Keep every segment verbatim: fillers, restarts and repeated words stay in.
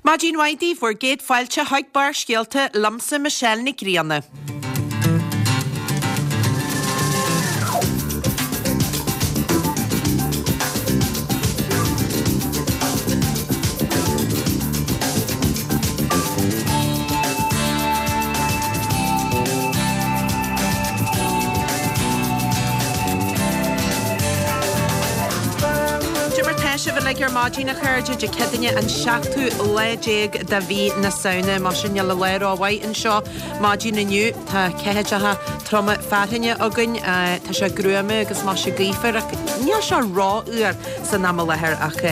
Maidin mhaith daoibh, bhur gcéad fáilte chuig Barrscéalta liomsa Michelle Nic Grianna. Cad é mar tá sibh uilig ar maidin a chairde, Dé Céadaoine an seachtú lá déag de mhí na Samhna. Mar sin níl an lá rómhaith anseo maidin inniu. Tá ceathaideacha troma fearthainne againn. Tá sé gruama agus maise gaofar ach níl sé rófhuar san am i láthair ach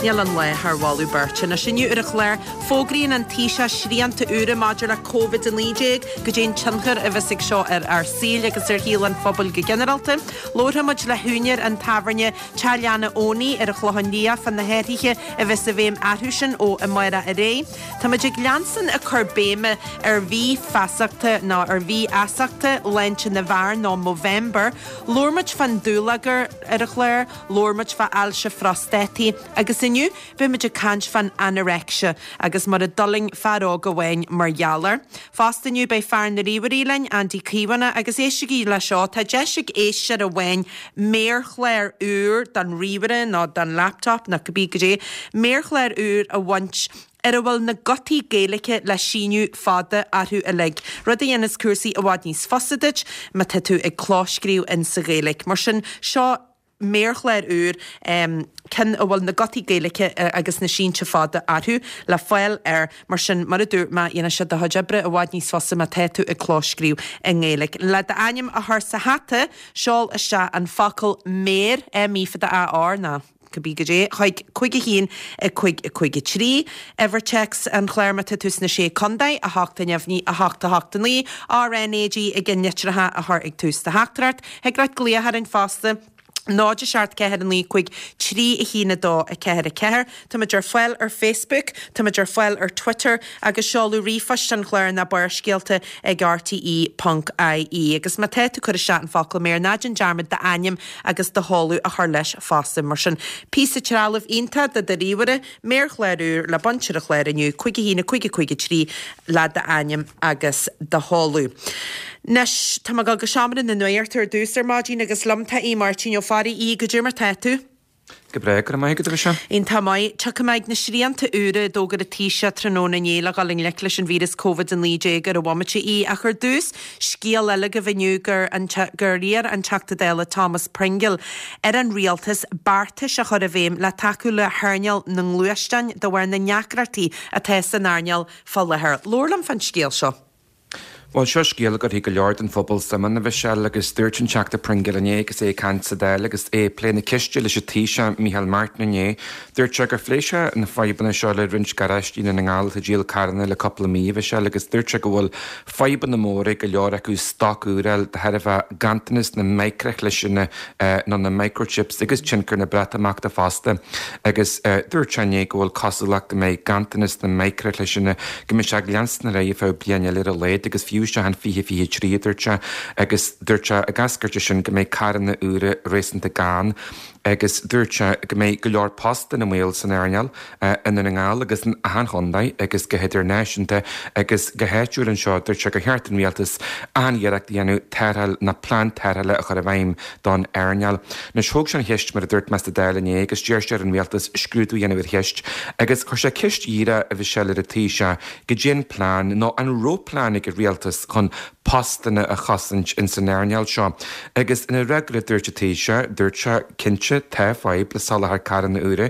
níl an lá thar mholadh beirte. Anois inniu ar an chlár, fógraíonn an Taoiseach srianta úra maidir le Covid a naoi déag, goidé an tionchar a bheas ag seo ar ár saoil agus ar shaol an phobail go ginearálta. Labharfaidh muid le húinéir an tábhairne Teach Leanna Owenie ar an Chlochán Liath fá na hathruithe a bheas i bhfeidhm orthusan ó amárach ar aghaidh. Tá muid ag leanstan ag cur béime ar mhí feasachta nó ar mhí fheasachta shláinte na bhfear nó Movember. Labhair muid fán dúlagar ar an chlár, labhair muid fá ailse phrostátaí agus inniu beidh muid ag caint fán anoreicse agus mar a d'fhulaing fear óg amháin mar gheall air. Fosta inniu beidh fear na ríomhairí linn, Andy Caomhánach, agus éistigí le seo, tá deis ag éisteoir amháin méarchlár úr don ríomhaire nó don laptop nó cibé goidé, méarchlár úr a bhaint ar a bhfuil na gutaí Gaeilge le síneadh fada orthu uilig, rud a dhéanas cúrsaí i bhfad níos fusa duit má tá tú ag clóscríobh in sa Ghaeilge. Mar sin, seo méarchlár úr, ceann a bhfuil na gutaí Gaeilge agus na sínte fada orthu, le fáil ar Mar sin, mar a dúirt mé, dhéanfaidh sé do chuid oibre i bhfad níos fusa má tá tú ag clóscríobh i nGaeilge. Le d'ainm a chur sa hata, seol isteach an focal 'méar', M E fada A R, nó cibé goidé, chuig cúig a haon a cúig a cúig a trí. Uimhir téacs an chláir má tá tú sna Sé Contae, a hocht a neamhní, a hocht a hocht a naoi, R N A G i gceann litreacha a chur ag tús do theachtaireacht. Thig leat glaoch orainn fosta. náid a seacht ceathair a naoi cúig trí a haon a dó a ceathair a ceathair. Táimid ar fáil ar Facebook, táimid ar fáil ar Twitter agus seoladh ríomhphoist an chláir ná Barrscéalta ag rte ponc ie. Agus má tá tú ag cur isteach an focal méar, ná déan dearmad d'ainm agus do sheoladh a chur leis fosta. Mar sin, píosa trealaimh iontach do do ríomhaire, méarchlár úr le baint ar an chlár inniu, cúig a haon a cúig a cúig a trí le d'ainm agus do sheoladh. Anois, tá mé ag dul go seomra na nuachta ar dtús ar maidin agus liom tá Aodh Máirtín Ó Fearraigh. Aodh, goidé mar tá tú? Go breá, go raibh maith agat, a Mhichelle. Iontach maith. Tiocfaidh mé ag na srianta úra a d'fhógair an Taoiseach tráthnóna inné le dhul i ngleic leis an víreas Covid a naoi déag ar an bhomaite, a Aoidh. Ach ar dtús, scéal eile agaibh inniu gur gur iarr an Teachta Dála Thomas Pringle ar an Rialtas beartais a chur i bhfeidhm le tacú le hearnáil na ngluaisteán de bharr na ndeacrachtaí atá san earnáil fá láthair. Labhair liom fán scéal seo. Bhuel, seo scéal a gcuirfidh go leor den phobal suim ann, a Mhichelle, agus dúirt an Teachta Pringle inné agus é ag caint sa Dáil agus é ag plé na ceiste leis an Taoiseach Micheál Martin inné, dúirt sé gur phléigh sé na fadhbanna seo le roinnt garáistí i nDún na nGall atá ag díol carranna le cúpla mí, a Mhichelle, agus dúirt sé go bhfuil fadhbanna móra ag go leor acu stoc úr a fháil de thairbhe ganntanas na micreachliseanna nó na microchips agus tionchar na Breatimeachta fosta. Agus dúirt sé inné go bhfuil cosúlacht go mbeidh ganntanas na micreachliseanna, go mbeidh sé ag leanstan ar aghaidh ar feadh bliain eile ar a laghad agus fiú isteach in fiche fiche trí, a dúirt sé, agus dúirt sé ag eascairt as sin go mbeidh carranna úra réasúnta gann agus dúirt sé go mbeidh go leor postanna i mbaol san earnáil i nDún na nGall agus in achan chontae agus go hidirnáisiúnta agus go háitiúil anseo. Dúirt sé gur cheart don rialtas achan iarracht a dhéanamh tarrtháil nó plean tarrthála a chur i bhfeidhm don earnáil. Anois thóg sé an cheist mar a dúirt mé sa Dáil inné agus d'iarr sé ar an rialtas scrúdú a dhéanamh ar cheist agus chuir sé ceist dhíreach a Mhichelle ar an Taoiseach goidé an plean nó an raibh plean ag an rialtas chun postanna a chosaint ins an earnáil seo. Agus ina fhreagra dúirt an Taoiseach, dúirt sé, cinnte, tá fadhb le soláthar carranna úra,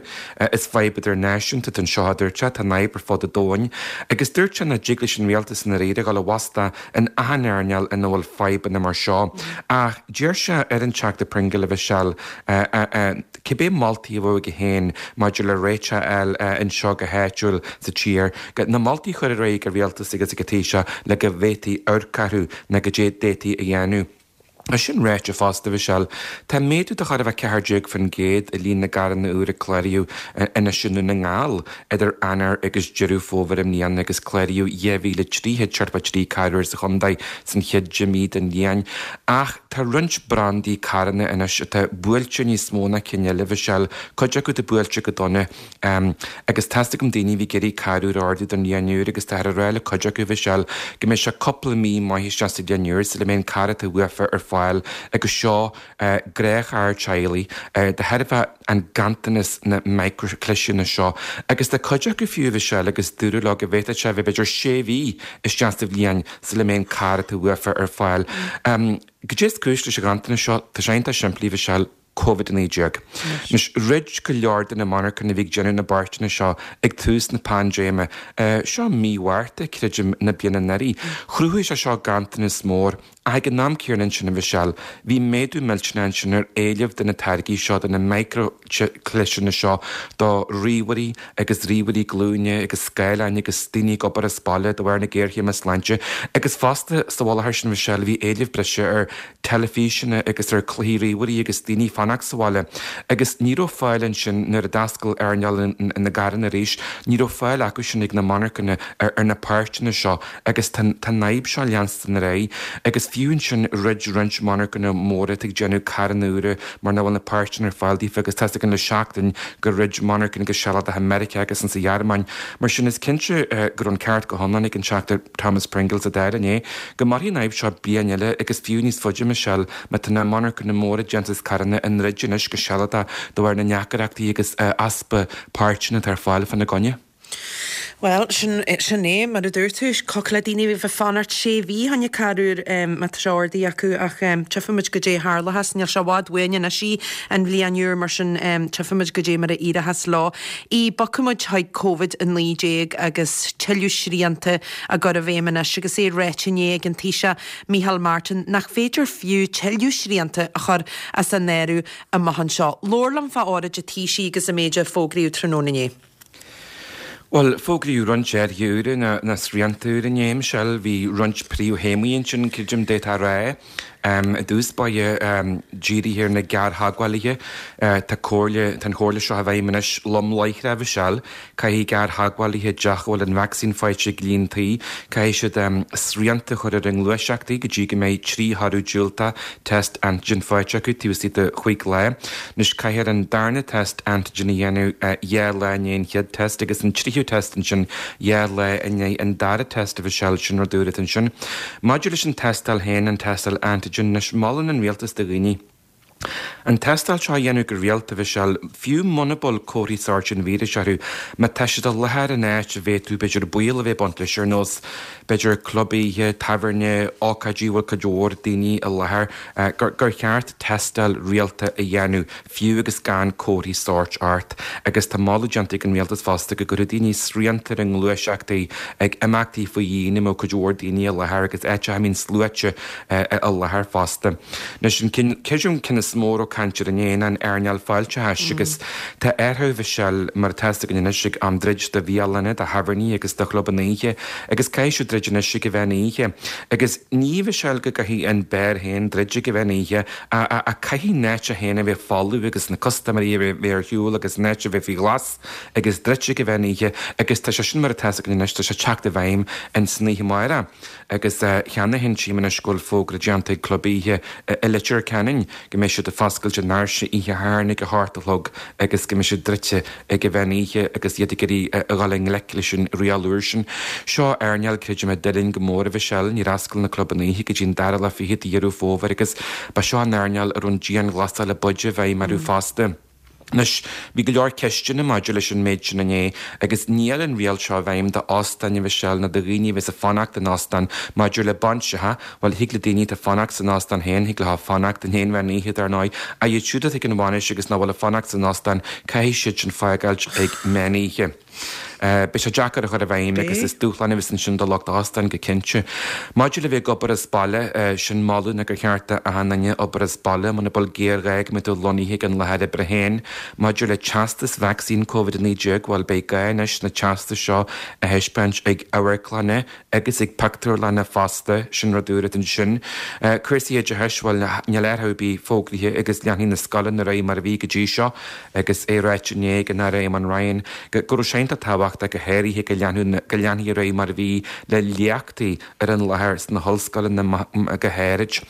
is fadhb idirnáisiúnta atá anseo, a dúirt sé, tá an fhadhb ar fud an domhain. Agus dúirt sé nach dtig leis an rialtas i ndáiríre dhul i bhfostú in achan earnáil ina bhfuil fadhbanna mar seo. Ach d'iarr sé ar an Teachta Pringle, a Mhichelle, cibé moltaí a bheadh aige féin maidir le réiteach a fháil anseo go háitiúil sa tír, na moltaí a chur ar aghaidh ag an rialtas agus ag an Taoiseach le go bhféadfaí amharc orthu nó goidé a d'fhéadfaí a dhéanamh. É sin ráite fosta, a Mhichelle, tá méadú de chóir a bheith ceathair déag faoin gcéad i líon na gcarranna úra a cláraíodh anois i nDún na nGall idir Eanáir agus Deireadh Fómhair i mbliana agus cláraíodh dhá mhíle trí chéad seachtó trí carr úr sa chontae san chéad deich mí den bhliain. Ach tá roinnt brandaí carranna anois atá buailte níos mó ná cinn eile, a Mhichelle, cuid acu atá buailte go dona. Agus tá's agam daoine a bhí ag iarraidh carr úr a ordú don bhliain úr agus táthar ag rá le cuid acu, a Mhichelle, go mbeidh sé cúpla mí maith isteach sa bhliain úr sula mbeidh an carr atá uafa ar fáil agus seo gnáthcharr teaghlaigh de thairbhe an ganntanas na micreachliseanna seo agus tá cuid acu fiú, a Mhichelle, agus dúradh leo go bhféadfadh sé a bheith b'fhéidir sé mhí isteach sa bhliain sula mbeidh an carr atá uafa ar fáil. Goidé is cúis leis an ghanntanas seo? Tá sé iontach simplí, a Mhichelle. Covid a naoi déag. Anois, dhruid go leor de na monarchana a bhí ag déanamh na bpáirteanna seo ag tús na paindéime, seo mí Mhárta, creidim, na bliana anuraidh. Chruthaigh sé seo ganntanas mór. Ach ag an am céanna ansin, a Mhichelle, bhí méadú millteanach ansin ar éileamh do na táirgí seo, do na micreachliseanna seo, do ríomhairí agus ríomhairí glúine agus scáileáin agus daoine ag obair as baile de bharr na géarchéime sláinte. Agus fosta, sa mhullach air sin, a Mhichelle, bhí éileamh breise ar teilifíseanna agus ar chluichí ríomhairí agus daoine ag fanacht sa bhaile agus ní raibh fáil ansin nuair a d'oscail earnáil na gcarranna arís, ní raibh fáil acu sin ag na monarchana ar na páirteanna seo agus tá an fhadhb seo ag leanstan ar aghaidh agus fiú ansin dhruid roinnt monarchana móra atá ag déanamh carranna úra mar nach bhfuil na páirteanna ar fáil daofa agus tá's againn le seachtain gur dhruid monarchana go sealadach i Meiriceá agus insa Ghearmáin. Mar sin is cinnte go raibh an ceart go hiomlán ag an Teachta Thomas Pringle sa Dáil inné go mairfidh an fhadhb seo bliain eile agus fiú níos faide, a Michelle, má tá na monarchana móra déantas carranna á ndruid anois go sealadach de bharr na ndeacaireachtaí agus easpa páirteanna atá ar fáil fána gcoinne. Bhuel, sin, sin é, mar a dúirt tú, thiocfadh le daoine a bheith ag fanacht sé mhí fá choinne carr úr má tá sé ordaithe acu ach tchífimid goidé a tharlóchas. Níl sé i bhfad uainn anois í, an bhliain úr, mar sin tchífimid goidé mar a éireochas leo. Í, bogfaimid chuig Covid a naoi déag agus tuilleadh srianta á gcur i bhfeidhm anois agus é ráite inné ag an Taoiseach Micheál Martin nach féidir fiú tuilleadh srianta a chur as an áireamh amach anseo. Labhair liom fá óráid an Taoisigh agus an méid a fógraíodh tráthnóna inné. Bhuel, fógraíodh roinnt athruithe úra, nó srianta úra inné, a Michelle. Bhí roinnt príomhthéamaí ansin, creidim, d'fhéadfá a rá. I dtús báire, dírithe ar na gearrtheagmhálaithe, tá comhairle, tá an chomhairle seo i bhfeidhm anois lom láithreach, a Mhichelle. Caithfidh gearrtheagmhálaithe i dteach a bhfuil an vacsaín faighte ag líon tí, caithfidh siad srianta a chur ar a ngluaiseachtaí go dtí go mbeidh trí thoradh diúltach test antigen faighte acu taobh istigh de chúig lá. Anois caithfear an darna test antigen a dhéanamh dhá lá i ndiaidh an chéad test agus an tríú test ansin dhá lá i ndiaidh an dara test, a Mhichelle, sin rud úr atá ansin. Maidir leis an tástáil féin, an tástáil antigen, anois molann an rialtas do dhaoine an tástáil seo a dhéanamh go rialta, a Mhichelle, fiú muna bhfuil comharthaí sóirt an víris orthu, má tá siad i láthair in áit a bhféadfadh b'fhéidir baol a bheith ag baint leis, ar nós b'fhéidir club oíche, tábhairne, ócáidí a bhfuil cuid mhór daoine i láthair, gur gur cheart tástáil rialta a dhéanamh, fiú agus gan comharthaí sóirt ort. Agus tá moladh déanta ag an rialtas fosta go gcuirfeadh daoine srianta ar a ngluaiseachtaí ag imeachtaí faoi dhíon a mbeadh cuid mhór daoine i láthair agus áiteacha a mbíonn sluaite i láthair fosta. Anois an ceann, creidim, ceann is mó a raibh caint air inné ná an earnáil fáilteachais agus tá athrú, a Mhichelle, mar atá 'fhios againn anois ag am druid do bhialanna, do thábhairní agus do chlubanna oíche agus caithfidh siad druid anois ag an mheán oíche agus ní, a Mhichelle, go gcaithfidh an beár féin druid ag an mheán oíche ach caithfidh an áit féin a bheith folamh agus na custaiméirí a bheith ar shiúl agus an áit a bheith faoi ghlas agus druidte ag an mheán oíche agus tá sé sin mar atá 'fhios againn anois, tá sé ag teacht i bhfeidhm ins an oíche amárach. Agus cheana féin tchím anois go bhfuil fógra déanta ag club oíche i Leitir Ceanainn go mbeidh siad ag foscailt a ndoirse oíche Shathairn ag a hocht a chlog agus go mbeidh siad druidte ag an mheán oíche agus iad ag iarraidh a dhul i ngleic leis an riail úr sin. Seo earnáil, creidim, a d'fhuiling go mór, a Mhichelle. Níor oscail na clubanna oíche go dtí an dara lá fichead de Dheireadh Fómhair agus ba seo an earnáil a raibh an dianghlasáil a b'fhaide i bhfeidhm orthu fosta. Anois, bhí go leor ceisteanna maidir leis an méid sin inné agus níl an riail seo i bhfeidhm d'óstáin, a Mhichelle, ná do dhaoine a bheas ag fanacht in óstán. Maidir le bainseacha, bhuel, thig le daoine atá ag fanacht san óstán féin, thig leo fanacht in aon mheán oíche, dar ndóigh, ach iad siúd atá ag an bhainis agus nach bhfuil ag fanacht san óstán, caithfidh siad sin fágáilt ag meán oíche. Beidh sé deacair a chur i bhfeidhm agus is dúshlán a bheas ansin do lucht óstán go cinnte. Maidir le bheith ag obair as baile, sin moladh ná gur cheart d'achan duine obair as baile muna bhfuil géarghá go mbeidh tú lonnaithe ag an láthair oibre féin. Maidir le teastas vacsaín Covid a naoi déag, bhuel beidh gá anois na teastais seo a thaispeáint ag amharclanna agus ag pictiúrlanna fosta, sin rud úr ansin. Cúrsaí oideachais, bhuel níl athrú ar bith fógraithe agus leanfaidh na scoileanna ar aghaidh mar a bhí go dtí seo agus é ráite inné ag an Aire Eamon Ryan go raibh sé iontach tábhachtach go háirithe go leanfaí ar aghaidh mar a bhí le léachtaí ar an láthair sna hollscoileanna go háirid.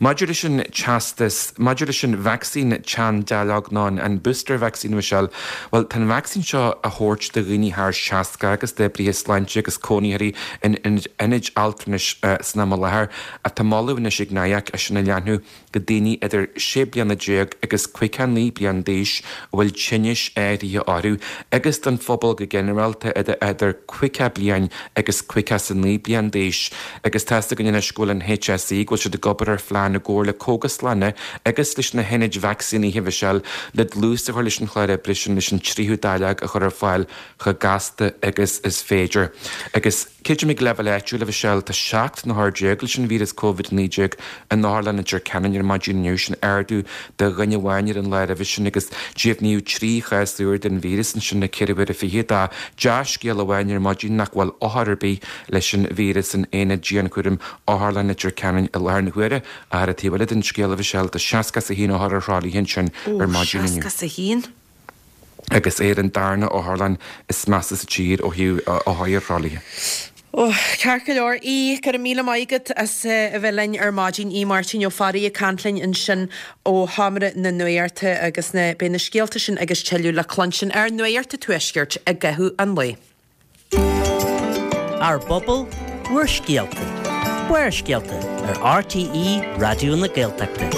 Maidir leis an teastas, maidir leis an vacsaín teanndáileog nó an booster vaccine Michelle, bhuel tá an vacsaín seo á thabhairt do dhaoine thar seasca agus d'oibrithe sláinte agus cónaitheoirí in ionaid altranais san am i láthair ach tá moladh anois ag NIAC é sin a leathnú go daoine idir sé bliana déag agus caoga naoi bliain d'aois a bhfuil tinnis áirithe orthu agus don phobal go ginearálta idir caoga bliain agus caoga is a naoi bliain d'aois agus tá's againn anois go bhfuil an HSE go bhfuil siad ag obair ar phlean i gcomhar le cógaslanna agus leis na hionaid vacsaínithe Michelle le dlús a chur leis an chlár oibre sin leis an tríú dáileog a chur ar fáil chomh gasta agus is féidir. Agus creidim ag leibhéal áitiúil a Mhichelle tá seacht n-othar déag leis an víreas Covid naoi déag in Otharlann Leitir Ceanainn ar maidin inniu, sin ardú de dhuine amháin ar an lá roimhe sin agus deimhníodh trí chás úr den víreas ansin le ceithre huaire fichead. Dea-scéal amháin ar maidin nach bhfuil othar ar bith leis an víreas in aonad dianchúraim Otharlann Leitir Ceanainn i láthair na huaire. Ach ar an taobh eile den scéal a Mhichelle tá seasca is a haon othar ar thralaithe ansin ar maidin inniu. Ó, seasca is a haon? Agus é ar an darna otharlann is measa sa tír ó thaobh othair ar thralaithe. Ó, ceart go leor. Aodh, go raibh míle maith agat as a bheith linn ar maidin. Aodh Máirtín Ó Fearraigh ag caint linn ansin ó Sheomra na Nuachta agus na, beidh na scéalta sin agus tuilleadh le cluinstin ar Nuacht an Tuaiscirt i gcaitheamh an lae. Ár bpobal, bhur scéalta. Barrscéalta ar RTÉ Raidió na Gaeltachta.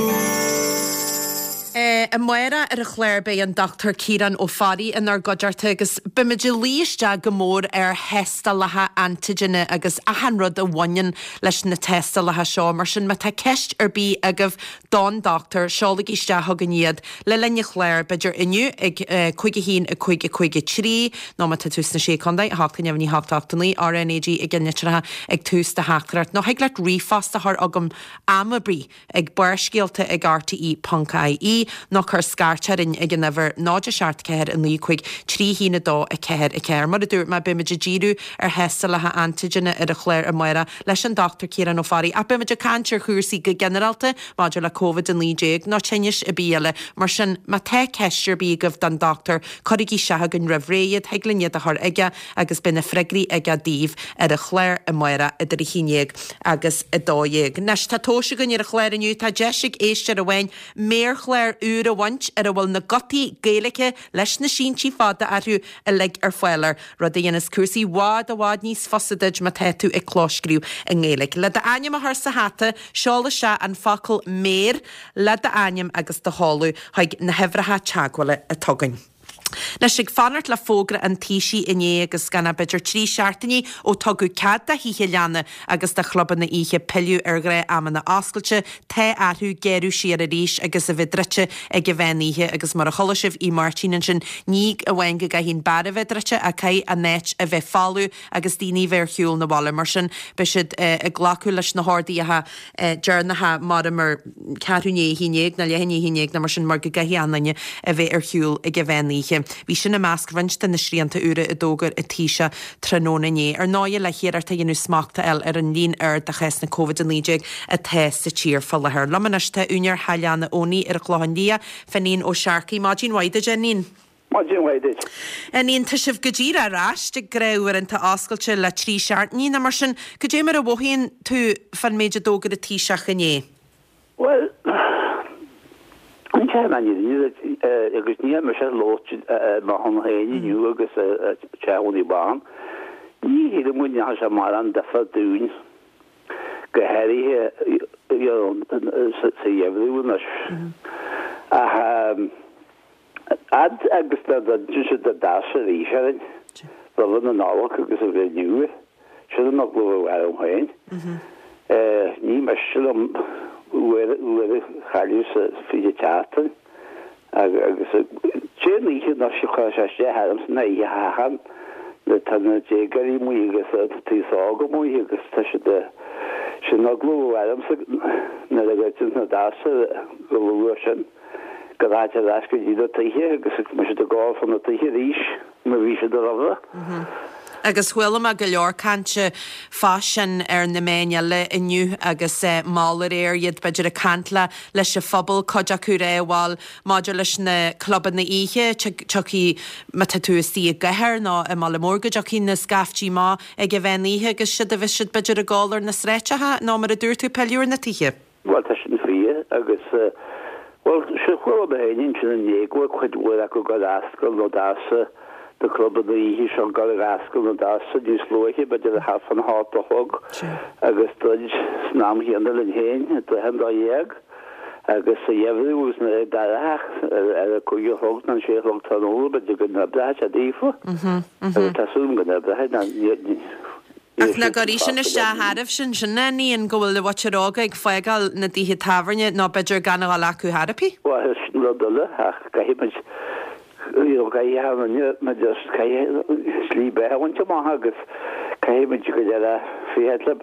Amárach ar an chlár beidh an Dochtúir Ciarán Ó Fearraigh inár gcuideachta agus beimid ag luí isteach go mór ar thástálacha antaigine agus achan rud a bhaineann leis na tástálacha seo. Mar sin má tá ceist ar bith agaibh don dochtúir, seolaigí isteach chugainn iad le linn an chláir, b'fhéidir inniu ag cúig a haon a cúig a cúig a trí nó má tá tú sna Sé Chontae, a hocht a neamhní a hocht a hocht a naoi, RNAG i gceannlitreacha ag tús do theachtaireacht nó thig leat ríomhphost a chur chugam am ar bith ag barrscéalta ag rte ponc ie nó cuir scairt orainn ag an uimhir náid a seacht ceathair a naoi cúig trí haon a dó a ceathair a ceathair. Mar a dúirt mé, beimid ag díriú ar thástálacha antaigine ar an chlár amárach leis an Dochtúir Ciarán Ó Fearraigh ach beimid ag caint ar chúrsaí go ginearálta maidir le Covid a naoi déag nó tinnis ar bith eile. Mar sin, má tá ceist ar bith agaibh don dochtúir, cuirigí isteach chugainn roimh ré iad, thig linn iad a chur aige agus beidh na freagraí aige daoibh ar an chlár amárach idir a haon déag agus a dó dhéag. Anois, tá tomhais againn ar an chlár inniu, tá deis ag éisteoir amháin méarchlár úr a bhaint ar a bhfuil na gutaí Gaeilge leis na síntí fada orthu uilig ar fáil air, rud a dhéanas cúrsaí i bhfad i bhfad níos fusa duit má tá tú ag clóscríobh i nGaeilge. Le d'ainm a chur sa hata, seol isteach an focal 'méar' le d'ainm agus do sheoladh chuig na huimhreacha teagmhála atá againn. Anois, ag fanacht le fógra an Taoisigh inné agus gan ach b'fhéidir trí seachtainí ó tugadh cead do thithe leanna agus do chlubanna oíche pilleadh ar ghnáth-amanna oscailte, tá orthu géarú siar arís agus a bheith druidte ag an mheán oíche agus mar a chuala sibh Aodh Máirtín ansin, ní amháin go gcaithfidh an beár a bheith druidte ach caithfidh an áit a bheith folamh agus daoine a bheith ar shiúl na bhaile. Mar sin, beidh siad ag glacadh leis na horduithe deireanacha mar mar ceathrú i ndiaidh a haon déag nó leath i ndiaidh a haon déag nó mar sin mar go gcaithfidh achan duine a bheith ar shiúl ag an mheán oíche. Bhí sin i measc roinnt de na srianta úra a d'fhógair an Taoiseach tráthnóna inné. Ar ndóigh le hiarracht a dhéanamh smacht a fháil ar an líon ard de chásanna Covid a naoi déag atá sa tír faoi láthair. Liom anois tá úinéir Theach Leanna Owenie ar an Chlochán Liath, Finghin Ó Searcaigh. Maidin mhaith duit, a Fhinghin. Maidin mhaith duit. Finghin, tá sibh go díreach ar ais ag gnáthuaireanta oscailte le trí seachtainí nó mar sin. Cad é mar a mhothaíonn tú fán méid a d'fhógair an Taoiseach inné? Bhuel, an ceann an fhírinne agus níl mise ag labhairt mar shon féin inniu agus Teach Owenie Bán. Ní shílim go ndeachaigh sé mórán difear dúinn, go háirithe sa gheimhreadh anois. Ach fhad agus dá dtiteann siad i dtaos arís orainn roimh na Nollag agus an Bhliain Nua, sin an eagla a bheadh orm féin. Ní miste liom uair a chailleadh sa fiche tseachtain agus dé an oíche anois a chuir sé isteach ormsa ná oíche Shathairn Tá na déagóirí amuigh agus an t-aos óg amuigh agus tá siad sin eagla ormsa nuair a dhruideann na doirse go luath sin go rachaidh ar ais go dtí na tithe agus go mbeidh siad ag ól fá na tithe arís mar bhí siad roimhe. Agus chuala mé go leor cainte fá sin ar na meáin eile inniu agus mall aréir, iad b'fhéidir ag caint le leis an phobal, cuid acu ag rá bhuel maidir leis na clubanna oíche, tiocfaidh, má tá tú istigh i gcathair nó i mbaile mór go dtiocfaidh na scaiftí amach ag an mheán oíche agus siad a bheas siad b'fhéidir ag ól ar na sráideacha nó mar a dúirt tú pilleadh ar na tithe. Bhuel tá sin fíor agus bhuel sin chuala mé féin ansin inné go bhfuil cuid mhór acu ag dul ag oscailt na doirse na clubanna oíche seo ag dul ag oscailt na doirse níos luaithe b'fhéidir thart fán hocht a chlog agus druid san am chéanna linn féin i dtrátha an dó dhéag agus sa gheimhreadh agus nuair atá dorcha ar a cúig a chlog nó an sé a chlog tráthnóna b'fhéidir go n-oibreoidh sé daofa agus tá súil agam go n-oibreoidh ná ní Ach nach gcuirfidh sin isteach oraibhse sin a Ian, go bhfuil an mhuintir óga ag fágáil na dtithe tábhairne nó b'fhéidir gan a dhul acu chor ar bith? Bhuel, sin rud eile ach caithfidh muid, you know, caithfidh achan duine, muid just, caithfidh slí beatha a bhaint amach agus caithfidh muid go léir féachaint le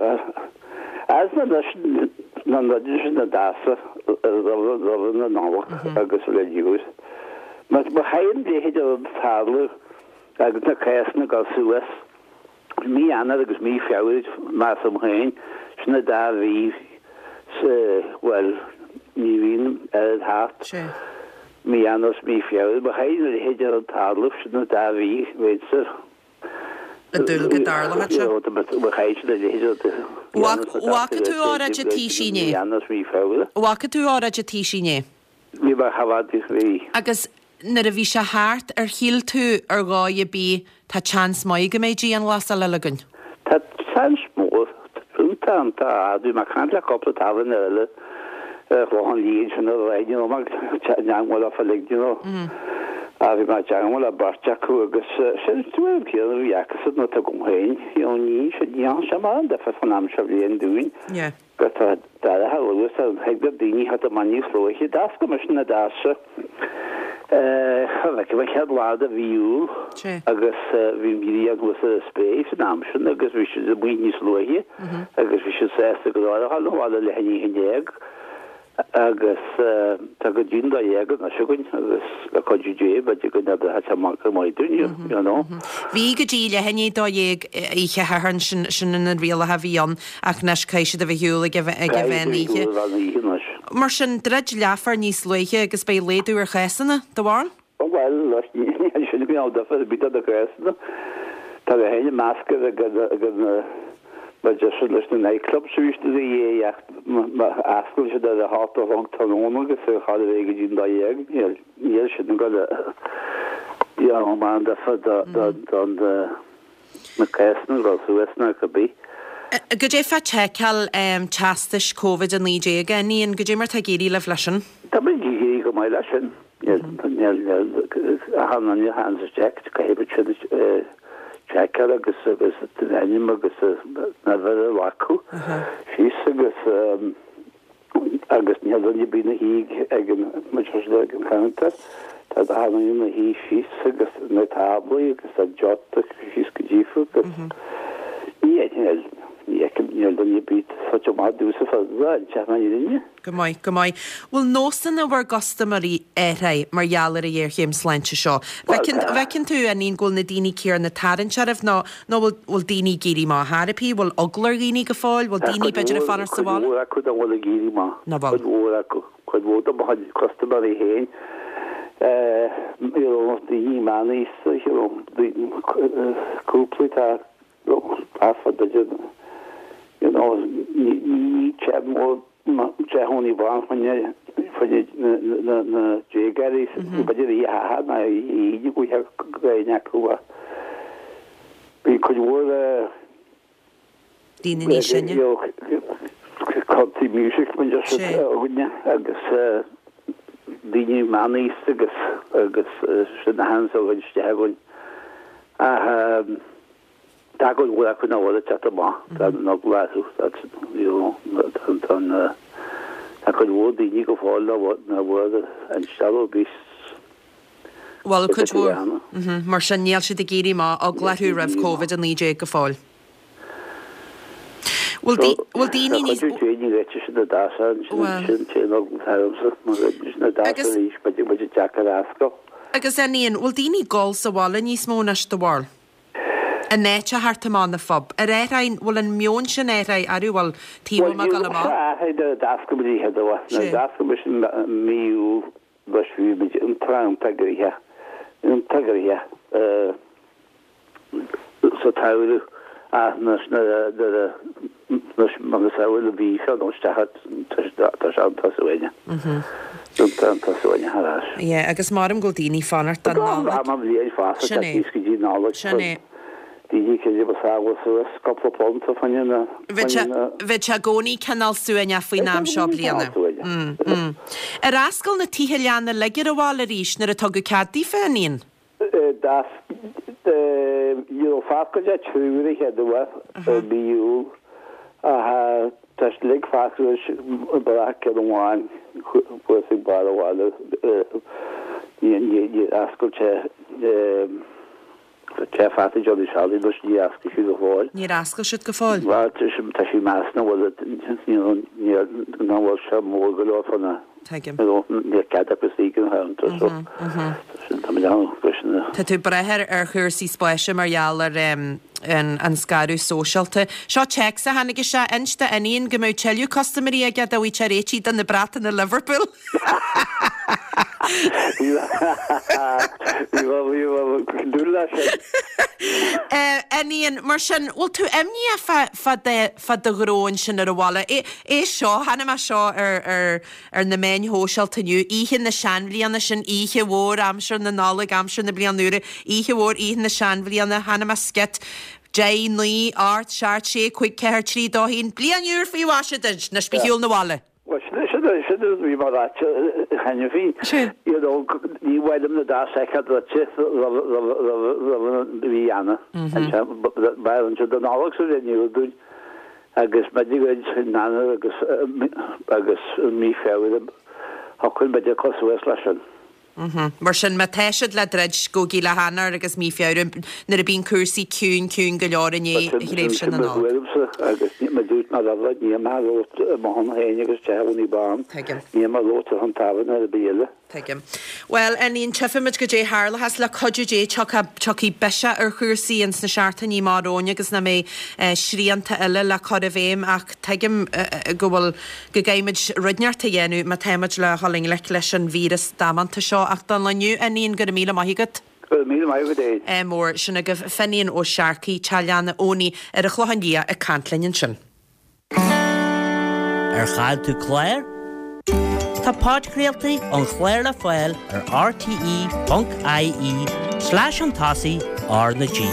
as na na rudaí sin na doirse roimh na Nollag agus le diús. Má chaithfidh an leithéid de rud tarlú agus na cásanna ag dul suas, Mí Eanáir agus mí Feabhra, measaim féin, sin an dá mhí sa, bhuel, ní bhíonn oiread thart. Mí Eanáir is mí Feabhra, má chaithfidh a leithéid de rud tarlú, sin an dá mhí, bheinnse. Ag dúil go dtarlóidh sé. Má chaithfidh siad a leithéid de rud a Bhfaca tú óráid an Taoisigh inné? Mí Eanáir is mí Feabhra. Bhfaca tú óráid an Taoisigh inné? Bhí mé chomh fada is bhí. Agus nuair a bhí sé thart, ar shíl tú ar dhóigh ar bith tá seans maith go mbeidh dianghlasáil eile againn? Tá seans mór. Tá, tá. Bhí mé ag caint le cúpla tábhairne eile ar an Chlochán Liath ansin ar aghaidh, you know, mé ag teagmháil leofa uilig, you know. Ah, bhí mé ag teagmháil le beirt acu agus sin an tuairim chéanna a bhí acusan atá agam féin, you know, ní, ní dhearna sé mórán difear fán am seo bhliain dúinn. Yeah. Go tá dorcha luath ar thig le daoine theacht amach níos luaithe. D'oscail mise na doirse an chéad lá de mhí Iúil agus bhí an ghrian thuas ar an spré san am sin agus bhí siad amuigh níos luaithe agus bhí siad sásta go leor a dhul abhaile leath i ndiaidh a haon déag. Agus tá go dtí an dó dhéag anois againn agus le cuidiú Dé b'fhéidir go n-oibreoidh sé amach go maith dúinn, you know. Bhí go dtí leath i ndiaidh a dó dhéag oíche Shathairn, sin sin na rialacha a bhí ann ach anois caithfidh siad a bheith ar shiúl ag ag an mheán oíche. Caithfidh siad a bheith ar shiúl ag an mheán oíche anois. Mar sin, druid leathuair níos luaithe agus beidh laghdú ar chásanna, do bharúil? Bhuel, níl sin ag déanamh difear ar bith do na cásanna. Tá mé féin i measc ag an Maidir sin leis na nightclubs arís ina dhiaidh ach má osclaíonn siad ar a hocht a chlog tráthnóna agus ar chóir a bheith go dtí an dó dhéag, níl níl sin ag dul a dhéanamh mórán difear don na cásanna ag dul suas ná cibé. Goidé fá tseiceáil teastais Covid a naoi déag, a Ian, goidé mar tá ag éirí libh leis sin? Tá muid ag éirí go maith leis sin. Níl níl níl achan duine a thaganns isteach caithfidh muid sin seiceáil agus agus an ainm agus an uimhir a ghlacadh síos agus agus níl duine ar bith ina shuí ag an muid ag an counter tá achan duine ina shuí síos agus na táblaí agus an deota síos go díofa agus ní níl ní fheicim níl duine ar bith suite amach domhsa fada an teach na fhírinne. Go maith, go maith. Bhfuil nósanna bhur gcustaiméirí athraithe mar gheall ar an ghéarchéim sláinte seo? Bhfeiceann, bhfeiceann tú, a Ian, go bhfuil na daoine céanna ag tarraingt oraibh nó, nó bhfuil, bhfuil daoine ag éirí amach chor ar bith? Bhfuil eagla ar dhaoine go fóill? Bhfuil daoine, b'fhéidir, ag fanacht sa bhaile? Cuid mhór acu nach bhfuil ag éirí amach. Nach bhfuil. Cuid mhór acu. Cuid mhór de mo chuid custaiméirí féin, you know, daoine meánaosta, you know, cúpla atá thart fá b'fhéidir, you know, ní, ní teach mór Teach Tony Bán fá choinne na déagóirí, b'fhéidir oíche Shathairn ná oíche Aoine go bhfuil aoinne acu ach bhí cuid mhór daoine níos sine. Country music mar deir siad againne agus daoine meánaosta agus agus sin a thaganns isteach againn ach Tá cuid mhór acu nach bhfuil ag teacht amach, tá an eagla orthu, tá cuid mhór daoine go fóill nach bhfuil instealladh ar bith. Bhuel, cuid mhór. Mar sin níl siad ag éirí amach, eagla orthu roimh Covid a naoi déag go fóill. Bhfuil daoine níos. Tá cuid daoine réite sin na dasa sin sin na dasa arís b'fhéidir deacair a fhoscailt. Agus Fhinian, bhfuil daoine ag gol sa bhaile níos mó anois do bharúil? In áit a theacht amach na phub. Ar athraigh, bhfuil an meon sin athraithe, arú bhfuil taobh amuigh ag dul amach? Bhuel, níl sé athraithe nuair a d'oscail muid an chéad uair. Nuair a d'oscail muid i mí Iúil, bhí muid iontach iontach gnoitheach, iontach gnoitheach. Sa tsamhradh ach nuair a anois macasamhail an mhí seo nó isteach tá sé iontach suaimhneach. Iontach suaimhneach ar ais. Yeah, agus maram go bhfuil daoine ag fanacht don Nollaig. Tá am bhliain fosta Sin é. Níos go dtí Nollaig. Sin é. Daoine cé ba sábháil suas cúpla punt a fáinne na Bheadh sé bheadh sé i gcónaí cineál suaimhneach faoin am seo bliana. Mm, mm. Ar oscail na tithe leanna uilig ar an bhaile arís nuair a tugadh cead daofa, a Fhinian? Ní raibh fágtha de triúr a chéad uair i mí Iúil ach tá siad uilig fágtha anois ag brath ceann amháin thuas ag barr an bhaile. Níor oscail sé Tá fágtha Johnny Charlie anois níor oscail siad go fóill. Níor oscail siad go fóill? Bhuel tá sí meas nach bhfuil nach bhfuil sé mór go leor fá na Tuigim. Níl cead acu istigh ina theannta so sin tá mé ann leis na. Tá tú ag brath ar ar chúrsaí spáis mar gheall ar an an scaradh sóisialta. Seo téacs a tháinig isteach, inis do Fhinian go mbeadh tuilleadh custaiméirí aige dá bhfaigheadh sé réitithe do na bratanna Liverpool. Bhí bhí dúil leis sin. Fhinian, mar sin, bhfuil tú imníoch fá fá do fá do ghnó ansin ar an bhaile? É é seo, chonaic mé seo ar ar ar na meáin shóisialta inniu, oíche na seanbhliana, sin oíche mhór aimsir na Nollag, aimsir na bliana úire, oíche mhór, oíche na seanbhliana, chonaic mé sciot, deich, naoi, ocht, seacht, sé, cúig, ceathair, trí, dó, haon, bliain úr faoi mhaise duit, anois bí ar shiúl na bhaile. Bhuel, sin sin sin a bhí mé a ráit cheana féin. Sin. You know, ní mhaith liom na dá soichead druidte roimh roimh roimh roimh an mhí Eanáir. B'fhearr anseo don Nollaig sa bhliain úr dúinn. Agus b'fhéidir go in Eanáir agus agus mí Feabhra thiocfainn b'fhéidir cur suas leis sin. Mar sin, má tá siad le druid, gabhaigí le hEanáir agus mí Feabhra nuair a bíonn cúrsaí ciúin ciúin go leor i ndiaidh thréimhse Sin na mo Nollag. thuairimse agus mar a dúirt mé roimhe, níl mé ag labhairt ar mo shon féin agus Teach Owenie Bán. Tuigim. Níl mé ag labhairt ar shon tábhairne ar bith eile. Tuigim. Bhuel, a Fhinian, tchífimid goidé a tharlóchas le cuidiú Dé, tiocfaidh, tiocfaidh biseach ar chúrsaí ins na seachtainí amach romhainn agus nach mbeidh srianta eile le cur i bhfeidhm ach tuigim go bhfuil, go gcaithfimid rud inteacht a dhéanamh má táimid le dhul i ngleic leis an víreas damanta seo. Ach don lá inniu, a Fhinian, go raibh míle maith agat. Go raibh míle maith agat fhéin. Ádh mór. Sin agaibh Finian Ó Searcaigh, Teach Leanna Owenie ar an Chlochán Liath ag caint linn ansin. Ar chaill tú clár? Tá podchraoltaí an chláir le fáil ar rte ponc ie slash an tosaigh R na G.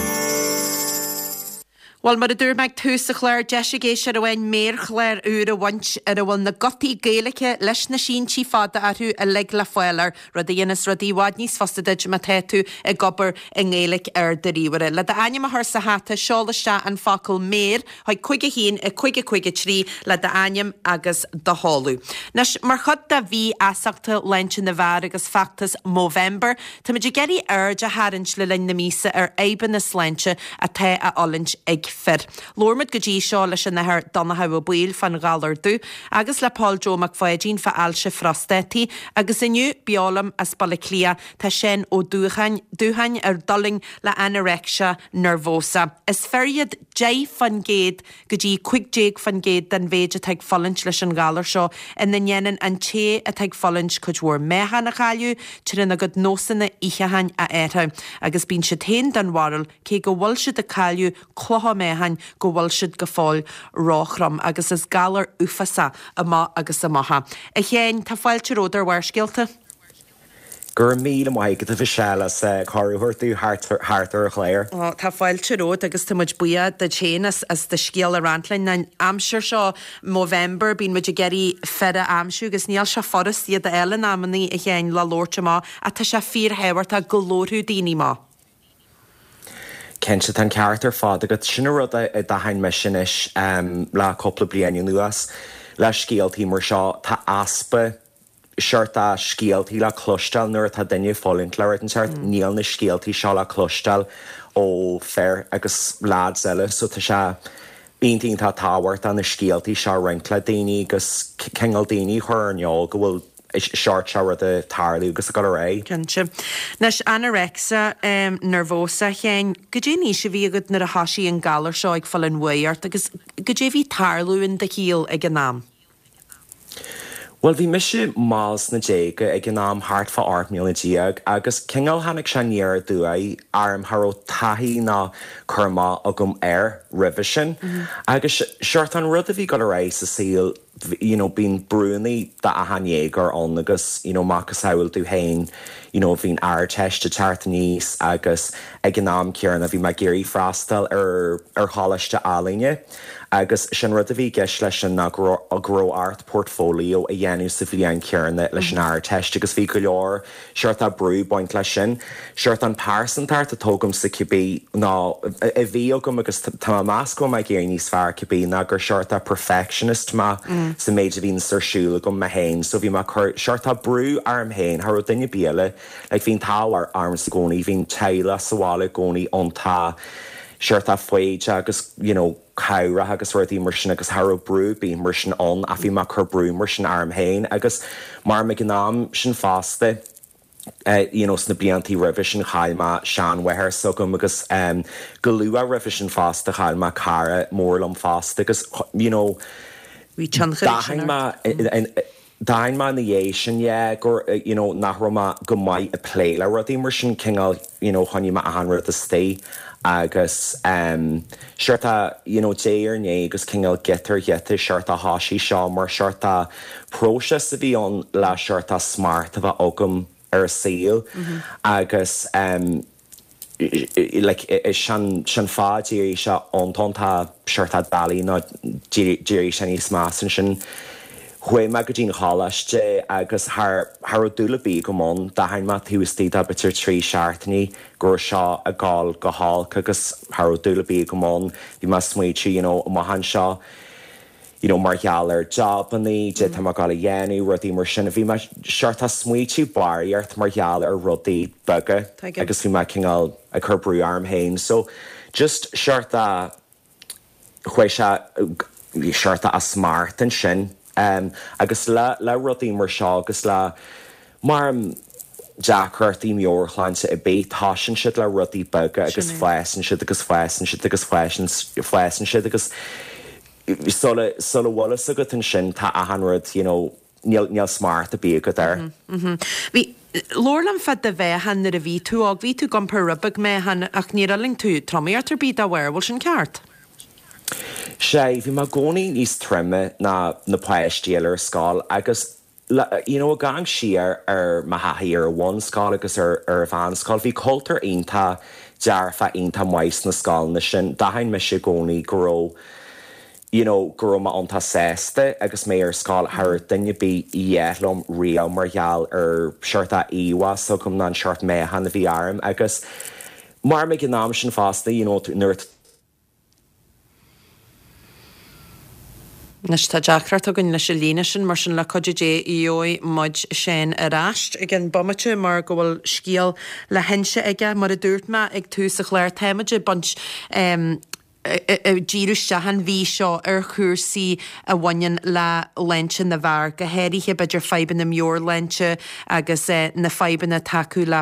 Bhuel, mar a dúirt mé ag tús an chláir, deis ag éisteoir amháin méarchlár úr a bhaint ar a bhfuil na gutaí Gaeilge leis na síntí fada orthu uilig le fáil air, rud a dhéanas rudaí i bhfad níos fusa duit má tá tú ag obair i nGaeilge ar do ríomhaire. Le d'ainm a chur sa hata, seol isteach an focal 'méar' chuig cúig a haon, a cúig a cúig a trí le d'ainm agus do sheoladh. Anois, mar chuid de mhí fheasachta Shláinte na bhFear agus feachtas Movember, táimid ag iarraidh aird a tharraingt le linn na míosa ar fhadhbanna sláinte atá á fhulaingt ag fir. Labhair muid go dtí seo leis an Athair Donnchadh Ó Baoill fán ghalar dubh agus le Paul Joe Mac Pháidín fá ailse phrostátaí agus inniu beo liom as Baile Átha Cliath tá Seán Ó Dúcháin, Dúcháin a d'fhulaing le anorexia nervosa. Is fir iad deich faoin gcéad go dtí cúig déag faoin gcéad den mhéid atá ag fulaingt leis an ghalar seo ina ndéanann an té atá ag fulaingt cuid mhór meáchan a chailleadh trína gcuid nósanna itheacháin a athrú agus bíonn siad féin den bharúil cé go bhfuil siad ag cailleadh clocha meáchain go bhfuil siad go fóill róthrom agus is galar uafásach amach agus amach é. A Sheáin, tá fáilte romhat ar Bharrscéalta. Go raibh míle maith agat a Mhichelle as cuireadh a thabhairt dom thart ar an chlár. Ó, tá fáilte romhat agus tá muid buíoch duit féin as, as do scéal a roinnt linn. An aimsir seo, Movember, bíonn muid ag iarraidh fir a aimsiú agus níl sé furast iad a fháil in amannaí, a Sheáin, le labhairt amach ach tá sé fíorthábhachtach go labharfadh daoine amach. Cinnte tá an ceart ar fad agat sin an rud a d'aithin mise anois le cúpla bliain anuas le scéaltaí mar seo tá easpa seort scéaltaí le cloisteáil nuair atá duine ag fulaingt le rud inteacht, níl na scéaltaí seo le cloisteáil ó fir agus lads eile, so tá sé iontach iontach tábhachtach na scéaltaí seo a roinnt le daoine agus cineál daoine a chur ar an eol go bhfuil seort seo rud ag tarlú agus ag dul ar aghaidh. Cinnte. Anois, anorexia nervosa, a Sheáin, goidé an aois a bhí agat nuair a thoisigh an galar seo ag fáil an bhuaidh ort agus goidé a bhí ag tarlú in do shaol ag an am? Bhuel, bhí mise mall sna déaga ag an am, thart fá ocht mbliana déag, agus cineál tháinig sé aniar aduaidh orm, cha raibh taithí ná cur amach agam air roimhe sin. Agus seort an rud a bhí ag dul ar aghaidh sa saol, you know, bíonn brúnnaí d'achan dhéagóir ann agus, you know, macasamhail tú féin, you know, bhí an Ardteist ag teacht aníos agus ag an am céanna bhí mé ag iarraidh freastal ar ar choláiste ealaíne. Agus sin rud a bhí i gceist leis sin ná go raibh ort portfolio a dhéanamh sa bhliain chéanna leis an Ardteist agus bhí go leor seort brú ag baint leis sin. Seort an pearsantacht atá agamsa cibé ná a bhí agam agus tá mé ag meas go bhfuil mé ag éirí níos fearr cibé ná gur seort perfectionist mé sa méid a bhíonns ar siúl agam mé féin so bhí mé ag cur seort brú orm féin, cha raibh duine ar bith eile like bhí an t-ádh ormsa i gcónaí, bhí an teaghlach sa bhaile i gcónaí iontach seort foighdeach agus you know cabhrach agus rudaí mar sin agus cha raibh brú ar bith mar sin ann ach bhí mé ag cur brú mar sin orm féin agus mar ag an am sin fosta eh you know sna bliantaí roimhe sin chaill mé seanmháthair s'agam agus em go luath roimhe sin fosta chaill mé cara mór liom fosta agus you know Bhí tionchar ag sin d'aithin ort. mé D'aithin mé ina dhiaidh sin, yeah, gur, you know, nach raibh mé go maith ag plé le rudaí mar sin, cineál, you know, choinnigh mé achan rud istigh agus em seort you know, diaidh ar ndiaidh agus cineál giota ar ghiota seort thoisigh seo mar seort próiseas a bhí ann le seort smacht a bheith agam ar an saol agus em like sin sin fáth d'éirigh sé iontach seort doiligh nó d'éirigh sé níos measa ansin. Chuaigh mé go dtí an choláiste agus cha cha raibh dúil ar bith agam ann. D'aithin mé taobh istigh de b'fhéidir trí seachtainí go raibh seo ag gabháil go holc agus cha raibh dúil ar bith agam ann. Bhí mé ag smaoitiú you know amach anseo you know mar gheall ar jabannaí, cad é tá mé ag gabháil a dhéanamh, rudaí mar sin. Bhí mé seort ag smaoitiú barraíocht mar gheall ar rudaí beaga Tuigim. agus bhí mé cineál ag cur brú orm féin. So just seort chuaigh sé seort as smacht ansin agus le le rudaí mar seo agus le mar deacrachtaí meabhairshláinte ar bith, tosaíonn siad le rudaí beaga agus Sin é. fásann siad agus fásann siad agus fásann fásann siad agus sula sula bhfuil fhios agat ansin tá achan rud you know níl níl smacht ar bith agat air. Bhí, labhair liom fá do mheáchan nuair a bhí tú óg, bhí tú ag iompar rud beag meáchain ach níor fhulaing tú tromaíocht ar bith dá bharr, bhfuil sin ceart? Sea, bhí mé i gcónaí níos troime ná na páistí eile ar scoil agus you know ag amharc siar ar mo thaithí ar an bhunscoil agus ar ar an mheánscoil, bhí cultúr iontach dearfach iontach maith sna scoileanna sin. D'aithin mise i gcónaí go raibh you know go raibh mé iontach sásta agus mé ar scoil, cha raibh duine ar bith a dhath liom riamh mar gheall ar seort íomhá s'agam ná an seort meáchan a bhí orm agus mar ag an am sin fosta you know nuair a Anois tá deacracht againn leis an líne sin, mar sin le cuidiú Dé gheobhaidh muid Seán ar ais i gceann bomaite mar go bhfuil scéal le hinse aige. Mar a dúirt mé ag tús an chláir, táimid ag baint ag díriú isteach an mhí seo ar chúrsaí a bhaineann le sláinte na bhfear, go háirithe b'fhéidir fadhbanna meabhairshláinte agus na fadhbanna atá acu le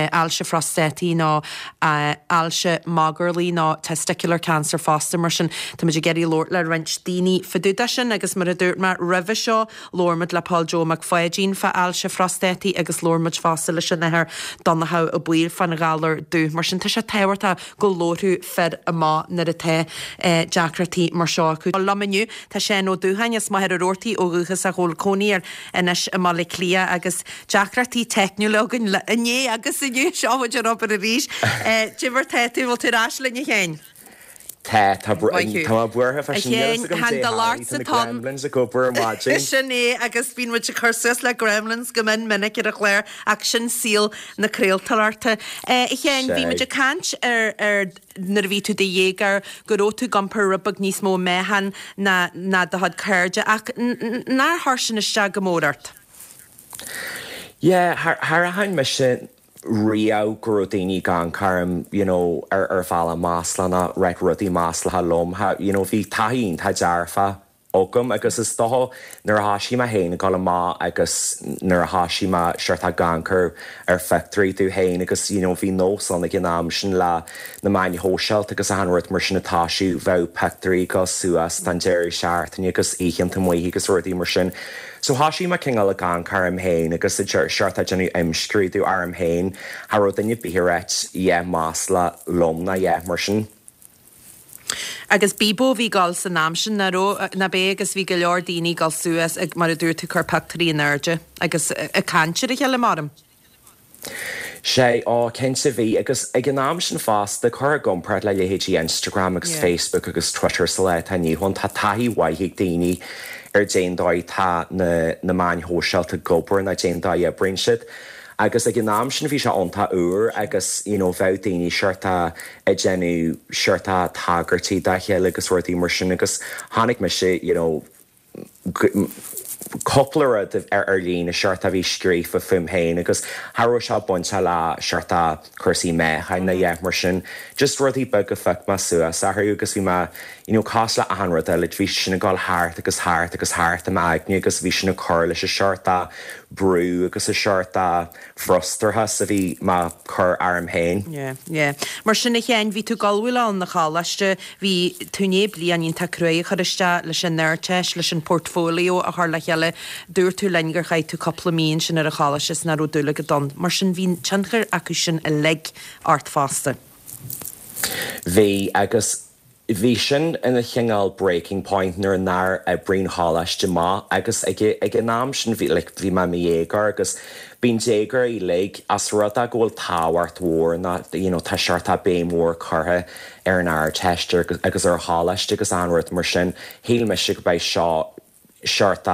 ailse phróstataí nó ailse magairlí nó testicular cancer fosta. Mar sin, táimid ag iarraidh labhairt le roinnt daoine fá dtaobh de sin agus mar a dúirt mé roimhe seo, labhair muid le Paul Joe Mac Pháidín fá ailse phróstataí agus labhair muid fosta leis an Athair Donnchadh Ó Baoill fán ghalar dubh. Mar sin, tá sé tábhachtach go labharfadh fir amach nuair atá deacrachtaí mar seo acu. Liom inniu tá Seán Ó Dúcháin as Machaire Rabhartaigh ó dhúchas ach a bhfuil cónaí air anois i mBaile Átha Cliath agus deacrachtaí teicniúla againn le inné agus inniu. Seo muid ar obair arís. Cad é mar tá tú, bhfuil tú ar ais linn a Sheáin? Tá, tá Maith thú. tá mé buartha A freisin, níl Sheáin, fhios agam chan dé do tharla, labhairt tá sa na tonn. gremlins ag obair ar maidin. Sin é agus bíonn muid ag cur suas le gremlins go mion minic ar an chlár ach sin saol na craoltóireachta. A Sheáin, bhí muid Sea. ag caint ar ar nuair a bhí tú i do dhéagóir go raibh tú ag iompar rud beag níos mó meáchan ná ná do chuid cairde ach nár chuir sin isteach go mór ort? Yeah, char aithin mise riamh go raibh daoine ag amharc orm you know, ar ar bhealach maslach ná ag rá rudaí maslacha liom. You know, bhí taithí iontach dearfach agam agus is dócha nuair a thosaigh mé féin ag dul amach agus nuair a thosaigh mé sort ag amharc ar phictiúirí domh féin agus you know, bhí nós ann ag an am sin le na meáin shóisialta agus achan rud mar sin atá sí bheadh pictiúirí go suas don deireadh seachtaine agus oícheanta amuigh agus rudaí mar sin. So thosaigh mé cineál ag amharc orm féin agus sort ag déanamh imscrúdú orm féin cha raibh duine ar bith ag ráit a dhath maslach liom ná a dhath mar sin. Agus Bebo bhí ag gabháil san am sin ná ná bé agus bhí go leor daoine ag gabháil suas ag mar a dúirt tú cur pictiúirí in airde agus ag caint ar a chéile mar. Sé á cinnte bhí agus ag an am sin fosta cur i gcomparáid le leithéidí Instagram agus yeah. Facebook agus Twitter sa lá atá inniu ann tá taithí mhaith ag daoine ar cén dóigh tá na, na meáin shóisialta ag obair ná cén dóigh a oibríonn siad. Agus ag an am sin bhí sé iontach úr agus you know, bheadh daoine sort ag déanamh sort tagairtí dá chéile agus rudaí mar sin agus tháinig mise you know, cúpla rud ar ar líne sort a bhí scríofa fúm féin agus cha raibh sé bainte le sort cúrsaí meáchain ná a dhath mar sin just rudaí beaga phioc mé suas orthu agus bhí mé you know, cosúil le achan rud eile bhí sin ag gabháil thart agus thart agus thart i m'aigne agus bhí sin ag cur leis an sort brú agus an sort frustrachas a bhí mé ag cur orm féin. Yeah, yeah. Mar sin a Sheáin bhí tú galhfuil an na choláiste bhí tú né bliain iontach crua a chur isteach leis an Ardteist leis an portfolio a chur le chéile dúirt tú linn gur chaith tú cúpla mí sin ar an choláiste is nach raibh dúil agat ann. Mar sin bhí tionchar acu sin uilig ort fosta. Bhí agus bhí sin ina chineál breaking point nuair nár oibrigh an choláiste maith agus ag ag an am sin bhí like, bhí mé i mo dhéagóir agus bíonn déagóirí uilig as rud é go bhfuil tábhacht mhór ná you know, tá sort béim mhór curtha ar an Ardteist agus ar choláiste agus achan rud mar sin shíl mise go mbeidh seo sort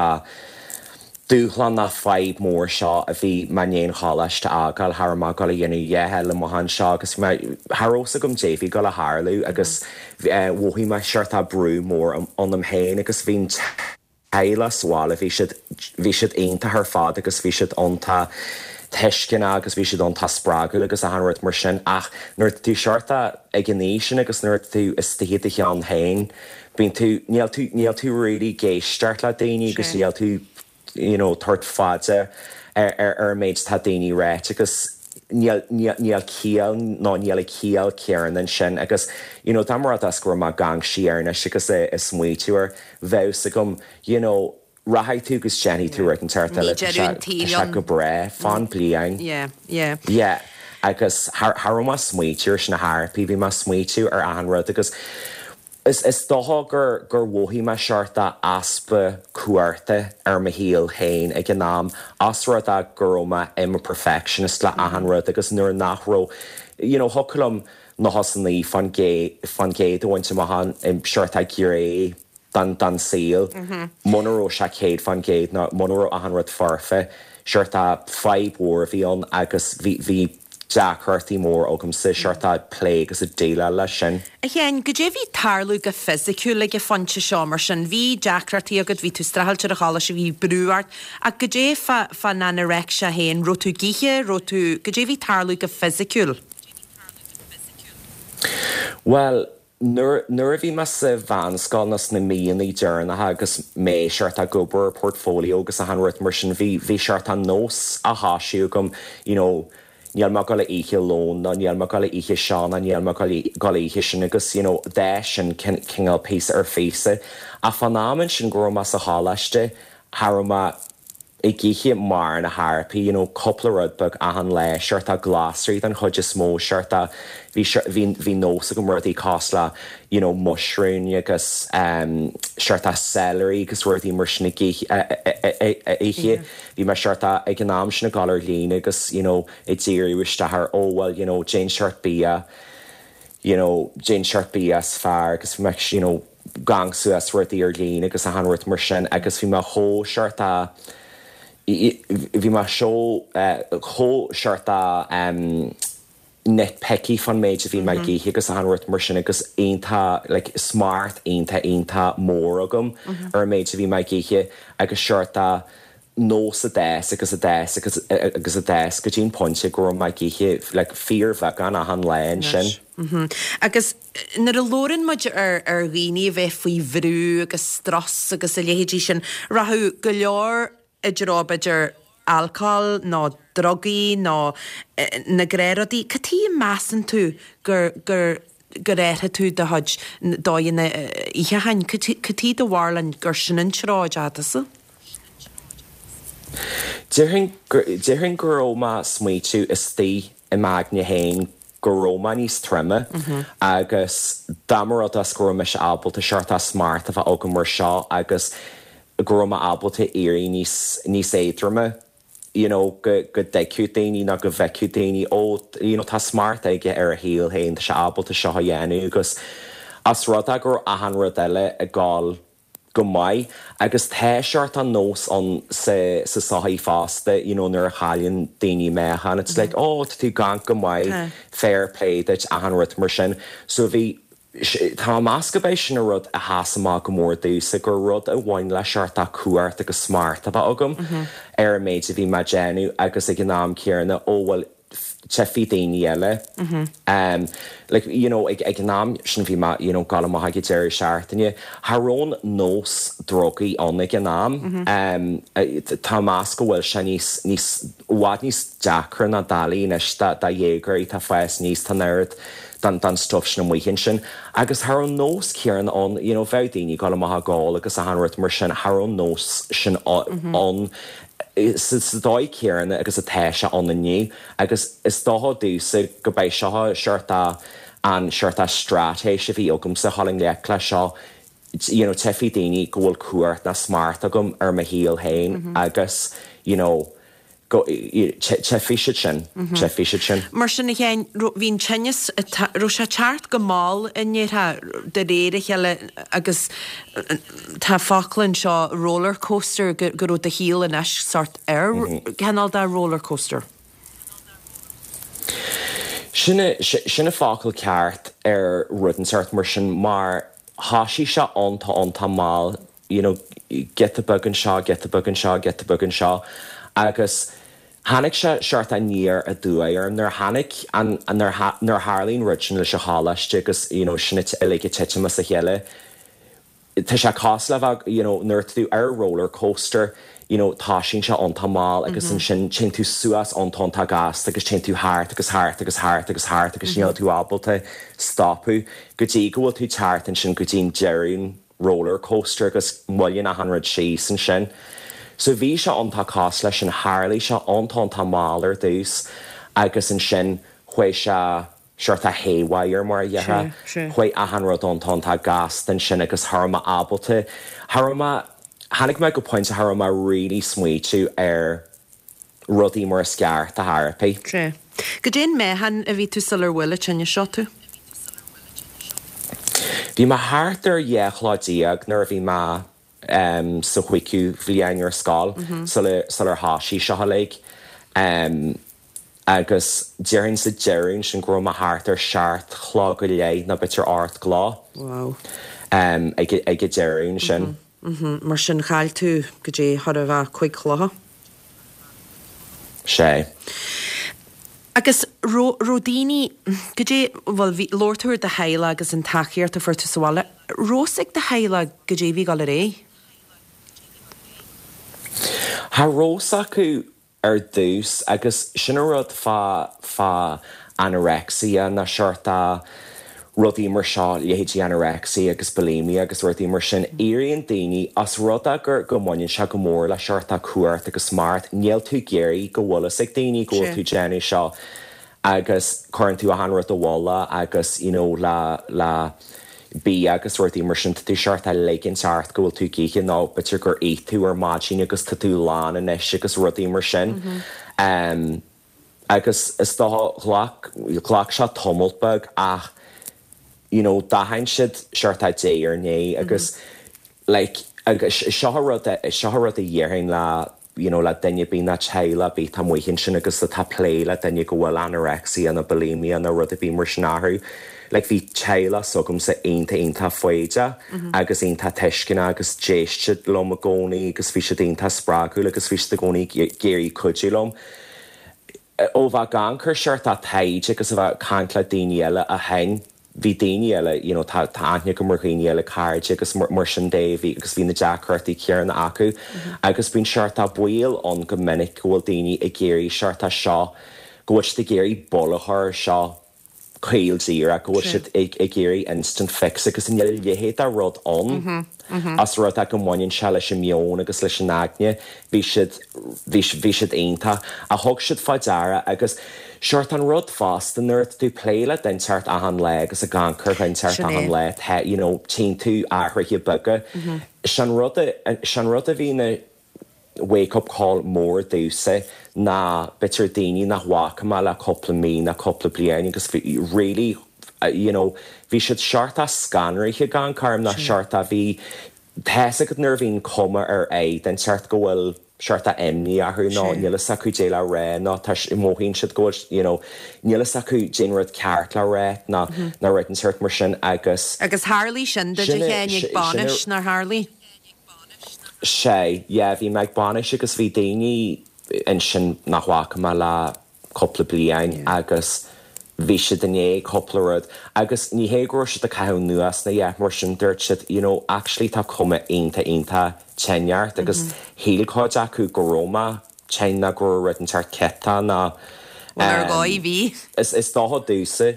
dúshlán ná fadhb mór seo a bhí mé i ndiaidh an choláiste a fhágáil thar má go dhéanamh dhéthe le mo seo agus thar gom déhí go le tharlú agus mhothaigh mé sort brú mór ionam féin agus bhí an teaghlach sa bhaile bhí siad bhí siad iontach ar fad agus bhí siad iontach tuisceanach agus bhí siad iontach spreagúil agus achan rud mar sin ach nuair tú sort ag an aois sin agus nuair tú istigh i do cheann féin bíonn tú níl tú níl tú really ag éisteacht le daoine agus níl tú you know, tabhairt fada ar ar ar méid tá daoine ag rá agus níl ciall ná níl a ciall céan sin agus you know, dá mar as go má gang siarna agus é is smaoitiúir bheus agam you know, rachaidh tú agus déanfaidh tú an tart eile go breá fan bliain. Yeah, yeah. Yeah. agus thar má smaoitiú sin na harpí bhí má smaoitiú ar an rud agus Is is dócha gur gur mhothaigh mé sort easpa cumhachta ar mo shaol féin ag an am as rud é go raibh mé i mo perfectionist le achan rud agus nuair nach raibh you know, thiocfadh liom nócha is a naoi faoin gcéad a bhaint amach in sort gné den den saol muna raibh sé céad faoin gcéad ná muna raibh achan rud foirfe sort fadhb mhór a bhí ann agus bhí bhí deacrachtaí mór agamsa sort plé agus a déileáil leis sin. A Sheáin, goidé bhí ag tarlú go fisiciúil ag an phointe seo mar sin, bhí deacrachtaí agat, bhí tú streachailt ar an choláiste, bhí brú ort, ach goidé fá fán anorexia féin, raibh tú ag ithe, raibh tú, goidé bhí ag tarlú go fisiciúil. Well, nuair a bhí mé sa mheánscoil na sna míonna deireanacha agus mé sort ag obair portfolio agus achan rud mar sin bhí bhí sort nós á thoisiú agam you know, níl mé ag gabháil a ithe lón ná níl mé ag gabháil a ithe seo ná níl mé ag gabháil a ithe sin agus you know, de sin cineál píosa ar phíosa. A fan am sin go raibh mé sa choláiste cha raibh mé ag ithe mar na harpí, you know, cúpla rud beag achan lá, sort glasraí den chuid is mó sort bhí bhí nós agam rudaí cosúil le you know, mushroom agus um, sort celery agus rudaí mar sin ag ithe. Bhí mé sort ag an am sin ag gabháil ar líne agus you know, ag díriú isteach ar ó well, you know, cén sort bia you know, cén sort bia is fearr agus bhí mé you know, gang suas rudaí ar líne agus achan rud mar sin agus bhí mé chomh sort bhí mé seo chomh sort um, nitpicky fan méid a bhí mé ag ithe agus achan rud mar sin agus iontach like, smacht iontach iontach mór agam ar méid a bhí mé ag ithe agus sort nós a d'fhás agus a d'fhás agus agus a d'fhás go dtí an pointe go raibh mé ag ithe like fíorbheagán achan lá ansin. Mm-hmm. Agus nuair a labhrann muid ar ar dhaoine a bheith faoi bhrú agus strus agus a leithéidí sin, rachadh go leor i dtreo b'fhéidir alcól nó drugaí nó na gnáthrudaí. Cad chuige a measann tú gur gur gur athraigh tú do chuid dóigheanna itheacháin? Cad chuige do bharúil gur sin an treo a ndeachaigh tusa? Déarfainn déarfainn go raibh mé ag smaoitiú istigh i m'aigne féin go raibh mé níos troime agus dá mba rud as go raibh mise ábalta seort smacht a bheith agam mar seo agus go raibh mé ábalta éirí níos níos éadroime you know, go go dtuigfeadh daoine nó go bhfeicfeadh daoine ó you know, tá smacht aige ar a shaol féin tá sé ábalta seo a dhéanamh agus as rud é go raibh achan rud eile ag gabháil go maith agus tá seort an nós ann sa sa sochaí fosta you know, nuair a chailleann daoine meáchan it's like oh tá tú gan go maith fair play duit achan rud mar sin so bhí Tá meas go bé sin a rud a sheas amach go mór domhsa gur rud a bhain le seort cumhacht agus smacht a bheith agam ar an méid a bhí mé ag déanamh agus ag an am céanna ó bhfuil tchífidh daoine eile. Um, like, you know, ag, ag an am sin bhí mé you know, ag gabháil amach ag deireadh seachtaine, Cha raibh an nós drugaí ann ag an am. Um, tá meas go bhfuil sé níos níos i bhfad níos deacra ná dalí anois do dhéagóirí atá ag fás aníos tá an oiread den den stuff sin amuigh ansin. Agus cha raibh an nós céanna ann you know, bheadh daoine ag gabháil amach ag ól agus achan rud mar sin cha raibh an nós sin ann sa sa dóigh céanna agus atá sé ann inniu agus is dócha domhsa go mbeidh seo seort an seort straitéis a bhí agamsa chun dul i ngleic le seo you know, tchífidh daoine go bhfuil cumhacht ná smacht agam ar mo shaol féin agus you know, go tchífidh siad sin tchífidh siad sin. Mar sin a Sheáin bhí an tinneas raibh sé ag teacht go mall i ndeireadh de réir a chéile agus tá focal anseo roller coaster go go raibh do shaol anois sort ar cineál de roller coaster. Sin sin an focal ceart ar rud inteacht mar sin mar thosaigh sé iontach iontach mall you know, giota beag anseo, giota beag anseo, giota beag anseo agus tháinig sé seort aniar aduaidh orm nuair tháinig an nuair nuair tharla an rud sin leis an choláiste agus you know, sin uilig ag titim as a chéile. Tá sé cosúil le bheith you know, nuair tú ar roller coaster you know, tosaíonn sé iontach mall agus ansin téann tú suas iontach iontach gasta agus téann tú thart agus thart agus thart agus thart agus níl tú ábalta stopadh go dtí go bhfuil tú thart ansin go dtí an deireadh roller coaster agus moilleann achan rud síos ansin. So bhí sé iontach cosúil leis sin tharla sé iontach iontach mall ar dtús agus ansin chuaigh sé seort haywire mar a déarfá chuaigh achan rud iontach iontach gasta ansin agus cha raibh mé ábalta cha raibh mé tháinig mé go pointe cha raibh mé really smaoitiú ar rudaí mar is ceart a therapy. Sé. Goidé an meáchan a bhí tú sular bhuail an tinneas seo tú? Bhí mé thart ar dheich kilo déag nuair a bhí mé um, sa chúigiú bhliain ar scoil mm -hmm. sular sular thosaigh seo uilig. Um, agus déarfainn sa deireadh sin go raibh mé thart ar seacht kilo go leith nó b'fhéidir ocht kilo. Wow. Um, ag ag an deireadh sin. Mm -hmm. Mm -hmm. Mar sin chaill tú go dtí chóir a bheith cúig chilo. Sé. Agus raibh daoine goidé bhuel bhí labhair tú ar do theaghlach agus an tacaíocht a fuair tú sa bhaile, raibh a fhios ag do theaghlach goidé bhí ag dul ar aghaidh. Cha raibh a fhios acu ar dtús agus sin an rud fá fá anorexia ná seort rudaí mar seo leithéidí anorexia agus bulimia agus rudaí mar sin éiríonn daoine as rud é gur go mbaineann sé go mór le seort cumhacht agus smacht níl tú ag iarraidh go bhfuil a fhios ag daoine go bhfuil tú ag déanamh seo agus cuireann tú achan rud i bhfolach agus you know, le le bia agus rudaí mar sin tá tú seort ag ligint ort go bhfuil tú ag ithe nó b'fhéidir gur ith tú ar maidin agus tá tú lán anois agus rudaí mar sin. Um, agus is dócha ghlac ghlac sé tamall beag ach you know, d'aithin siad seort diaidh ar ndiaidh agus like agus seo rud seo rud a dhéarfainn le you know, le duine ar bith ná teaghlach ar bith atá amuigh ansin agus atá ag plé le duine go bhfuil anorexia nó bulimia nó rud ar bith mar sin orthu. Like bhí teaghlach s'agamsa iontach iontach foighdeach agus iontach tuisceanach agus d'éist siad liom i gcónaí agus bhí siad iontach spreagúil agus bhí siad i gcónaí ag iarraidh cuidiú liom. Ó bheith ag amharc ar seort taighde agus a bheith ag caint le daoine eile ó shin, bhí daoine eile, you know, tá tá aithne agam ar dhaoine eile, cairde agus mar mar sin de, bhí agus bhí na deacrachtaí céanna acu agus bíonn seort baol ann go minic go bhfuil daoine ag iarraidh seort seo, go bhfuil siad ag iarraidh buille a chur air seo caol díreach, go bhfuil siad ag ag iarraidh instant fix agus níl a leithéid de rud ann. As rud é go mbaineann sé leis an meon agus leis an aigne, bhí siad bhí bhí siad iontach a thug siad fá deara agus seort an rud fosta nuair atá tú ag plé le duine inteacht achan lá agus ag amharc ar dhuine inteacht Sin é. achan lá tá you know tchíonn tú athruithe beaga. Sin rud a sin rud a bhí ina wake up call mór domhsa ná b'fhéidir daoine nach bhfaca mé le cúpla mí nó cúpla bliain agus bhí really uh, you know, bhí siad seort scanraithe gan carm ná seort bhí tá a fhios agat nuair a bhíonn cuma ar aghaidh den seort go bhfuil seort imní orthu ná Sin. níl a fhios acu cad é le rá ná tá mothaíonn siad go bhfuil you know, níl a fhios acu cén rud ceart le rá ná ná rud an seort mar sin agus Agus tharla sin duit Sin a é- Sheáin ag sin- bainis sin nár tharla. sé yeah, bhí mé ag bainis agus bhí daoine ansin nach bhfaca mé le cúpla bliain Yeah. agus bhí siad i ndiaidh cúpla rud agus ní hé go raibh siad ag caitheamh anuas ná yeah, mar sin dúirt siad you know, actually tá cuma iontach iontach tinn ort agus shíl cuid acu go raibh mé tinn ná go raibh rud inteacht ciotach ná Well ar um, dhóigh bhí. is is dócha domhsa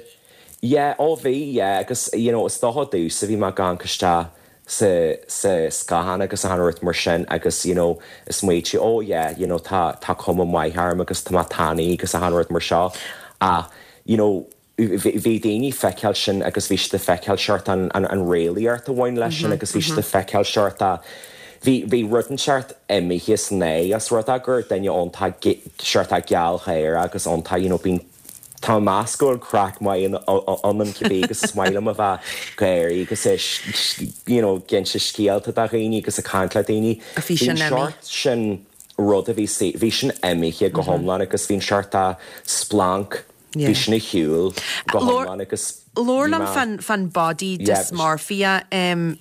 yeah ó bhí yeah agus you know is dócha domhsa bhí mé ag amharc isteach sa sa scáthán agus an rud mar sin agus you know is smaointigh oh yeah you know tá tá cuma maith orm agus tá mé tanaí agus an rud mar seo ach you know bhí bhí daoine feiceáil sin agus bhí siad ag feiceáil seort an an an réalaíocht a bhain leis sin agus bhí siad ag feiceáil seort a bhí bhí rud inteacht imithe san é as rud é gur duine iontach seort gealgháireach agus iontach you know bíonn Tá meas go bhfuil craic maith ionam cibé agus is maith liom a bheith gáirí agus is you know ag inse scéalta do dhaoine agus ag caint le daoine. A bhí sin Bhí imithe. seort sin rud a bhí si- bhí sin imithe go hiomlán agus bhí'n seort a splanc Yeah. bhí sin ar shiúl go Lor- hiomlán agus Labhair bhí liom mé- fan fan body Yeah, dysmorphia um,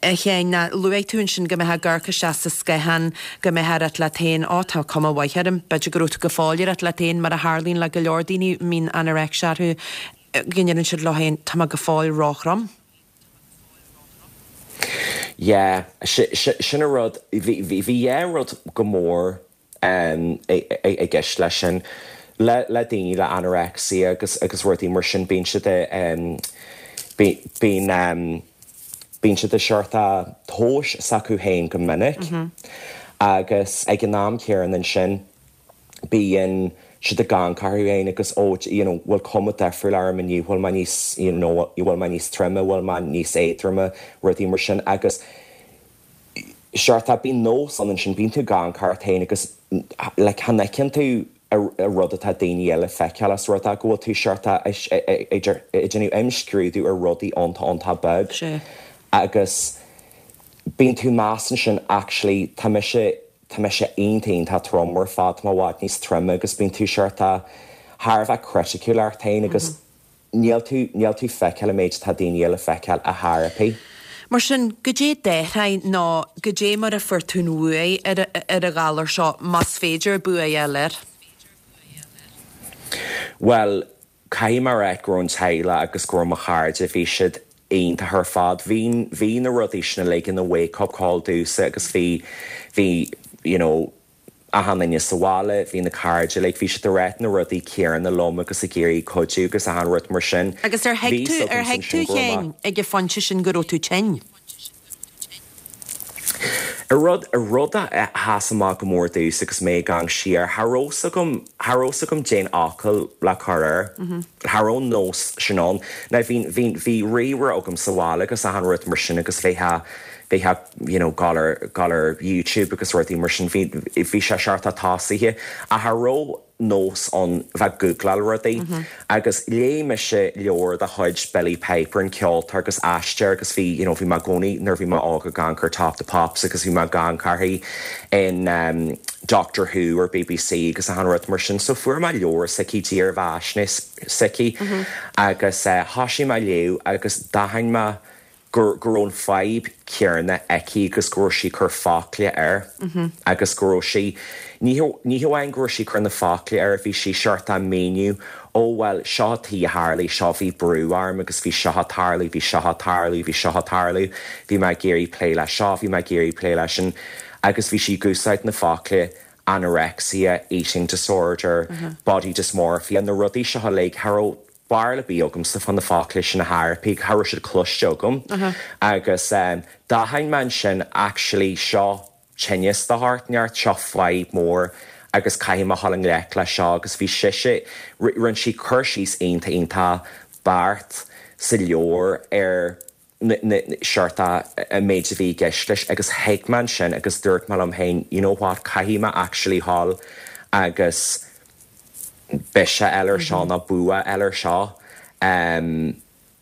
a Sheáin ná luaigh tú ansin go mbeifeá ag amharc isteach sa scáthán go mbeifeá ag rá leat féin á tá cuma mhaith orm, b'fhéidir go raibh tú go fóill ag rá leat féin mar a tharlaíonn le go leor daoine a mbíonn anorexia orthu go ndeireann siad leo féin tá mé go fóill róthrom. Yeah, sin a rud bhí bhí dhá rud go mór um, i gceist leis sin le le daoine le anorexia agus agus rudaí mar sin bíonn siad um, bíonn um, bíonn siad seort tomhas s'acu féin go minic mm -hmm. agus ag an am céanna ansin bíonn siad ag amharc orthu féin agus ó you know, bhfuil cuma difriúil orm inniu bhfuil mé níos you know, bhfuil mé níos troime bhfuil mé níos éadroime rudaí mar sin agus seort bíonn nós ansin bíonn tú ag amharc ort féin agus le chan fheiceann tú a rud atá daoine eile feiceáil as rud go bhfuil tú seort ag déanamh imscrúdú ar rudaí iontach iontach beag agus bíonn tú meas ansin actually tá mise tá mise iontach tá trom ar fad má bhfuil níos troime agus bíonn tú seort thar a bheith criticiúil ort féin agus níl tú níl tú feiceáil an méid tá daoine eile feiceáil a therapy. Mar sin goidé d'athraigh ná goidé mar a fuair tú an bua ar ar an ghalar seo más féidir bua a fháil air. Well, caithfidh mé a rá go raibh an teaghlach agus go raibh mo chairde bhí siad iontach ar fad bhí bhí na rudaí sin like ina wake up call domhsa agus bhí bhí you know, achan duine sa bhaile, bhí na cairde like, bhí siad ag rá na rudaí céanna liom agus ag iarraidh cuidiú agus achan rud mar sin. Agus ar thuig tú ar thuig tú féin ag an phointe sin go raibh tú tinn. A rud a rud a sheas amach go mór domhsa agus mé ag amharc siar cha raibh a fhios agam cha raibh a fhios agam cén fhocal le cur air. Cha raibh nós sin ann. Na bhí bhí bhí ríomhaire agam sa bhaile agus achan rud mar sin agus bheifeá bheifeá you know, gabháil ar gabháil ar YouTube agus rudaí mar sin bhí bhí sé seort tosaithe a cha raibh nós ann bheith ag googláil rudaí agus léigh mise leabhar de chuid Billie Piper an ceoltóir agus aisteoir agus bhí you know bhí mé i gcónaí nuair bhí mé óg ag amharc ar Top the Pops agus bhí mé ag amharc uirthi in um, Doctor Who ar BBC agus achan rud mar sin so fuair mé leabhar s'aici dírbheathaisnéis s'aici agus uh, thosaigh mé léamh agus d'aithin mé gur go raibh an fadhb chéanna aici agus go raibh sí ag cur focla air agus go raibh sí ní hamháin go raibh sí ag cur na focla air bhí sí seort ag míniú ó well seo tí tharla seo bhí brú orm agus bhí seo ag tarlú bhí seo ag tarlú bhí seo ag tarlú bhí mé ag iarraidh plé le seo bhí mé ag iarraidh plé leis sin agus bhí sí ag úsáid na focla anorexia, eating disorder, mm -hmm. body dysmorphia na rudaí seo le cha raibh barúil ar bith agamsa fá na focla sin a tharpí cha raibh siad cloiste agam uh -huh. agus um, d'aithin mé sin actually seo tinneas de shórt inteacht seo fadhb mór agus caithfidh mé dhul i ngleic le seo agus bhí sise rinne sí cur síos iontach iontach beart sa leabhar ar seort an méid a bhí i gceist leis agus thuig mé sin agus dúirt mé liom féin you know what caithfidh mé actually dhul agus biseach eile seo ná bua eile seo um,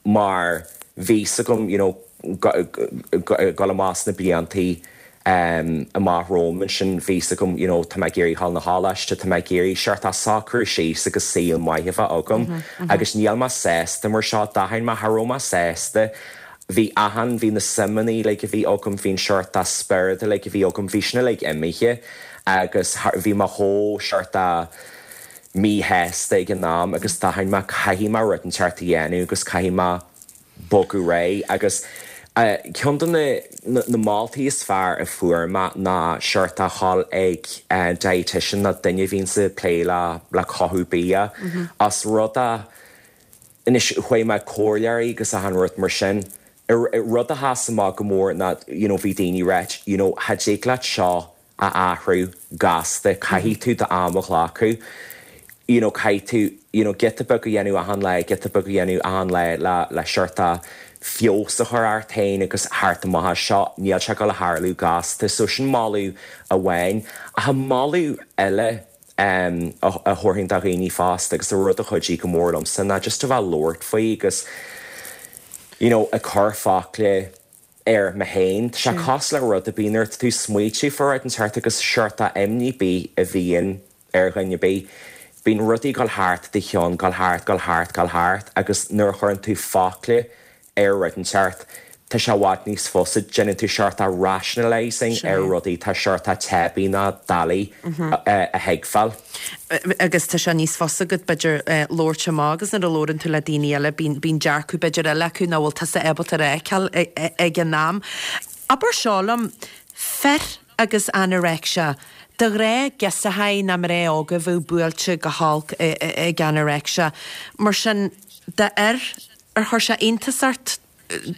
mar bhí agam you know, go amach na bliantaí um, amach romham sin bhí agam you know, tá mé ag iarraidh dhul na coláiste tá mé ag iarraidh seort socrú síos agus saol maith a bheith agam mm -hmm. agus níl mé sásta mar seo d'aithin mé cha raibh mé sásta bhí achan bhí na suimeanna le a bhí agam bhín seort spiorad le a bhí agam bhí sin le imithe agus bhí mé chomh seort míshásta ag an am agus d'aithin mé caithfidh mé rud inteacht a dhéanamh agus caithfidh mé bogadh ar aghaidh agus uh, ceann de na, na, na moltaí is fearr a fuair mé ná seort a dhul ag uh, dietitian ná duine a bhíonn ag plé le le cothú bia mm -hmm. as rud a anois chuaigh mé comhairleoirí agus achan rud mar sin rud a sheas amach go mór ná you know, bhí daoine ag rá you know, cha dtig leat seo a athrú gasta caithfidh tú d'am a ghlacadh you know, caithfidh tú you know, giota beag a dhéanamh achan lá giota beag a dhéanamh achan lá le le seort feabhas a chur ort féin agus thart amach seo níl sé go le tarlú gasta so sin moladh amháin a moladh eile um, a, a thabharfainn do dhaoine fásta agus a rud a chuidigh go mór liomsa ná just a bheith labhairt faoi agus you know, ag cur focla ar mé féin sé cos le rud a bíonn tú smaointiú fá an tart agus seort imní bí a bhíonn ar dhuine bí. Bíonn rudaí ag dul thart do cheann dul thart dul thart dul thart agus nuair a chuireann tú focla ar rud inteacht tá sé i bhfad níos fusa déanann tú seort rationalizing ar rudaí tá seort teibí ná doiligh a thuigbheáil. Agus tá sé níos fusa go b'fhéidir labhairt amach agus nuair a labhrann tú le daoine eile bíonn dearcadh b'fhéidir eile acu nach bhfuil tusa ábalta a fheiceáil ag an am. Abair seo liom fir agus anorexia. De ghnáth girseachaí nó mná óga a bheadh buailte go holc ag anorexia. Mar sin d'fhir ar chuir sé iontas ort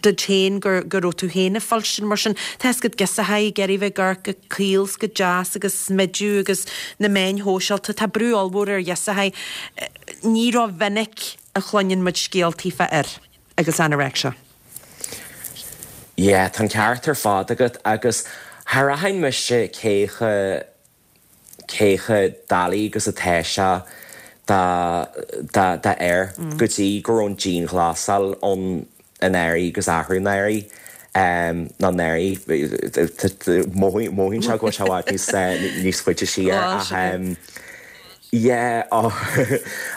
duit féin gur go raibh tú féin ag fuilstin mar sin tá go girseachaí ag iarraidh bheith ag amharc go caol go deas agus smidiú agus na meáin shóisialta tá brú ollmhór ar ghirseachaí ní ró-mhinic a chluineann muid scéaltaí fá fhir agus anorexia. Yeah, tá ceart ar fad agat agus char aithin mise cé chomh cé chomh doiligh agus atá sé dá dá dá air mm. go dtí go raibh an dianghlasáil ann anuraidh agus athrú anuraidh um, ná anuraidh mothaíonn sé go sé níos níos faide siar ach um, yeah, oh,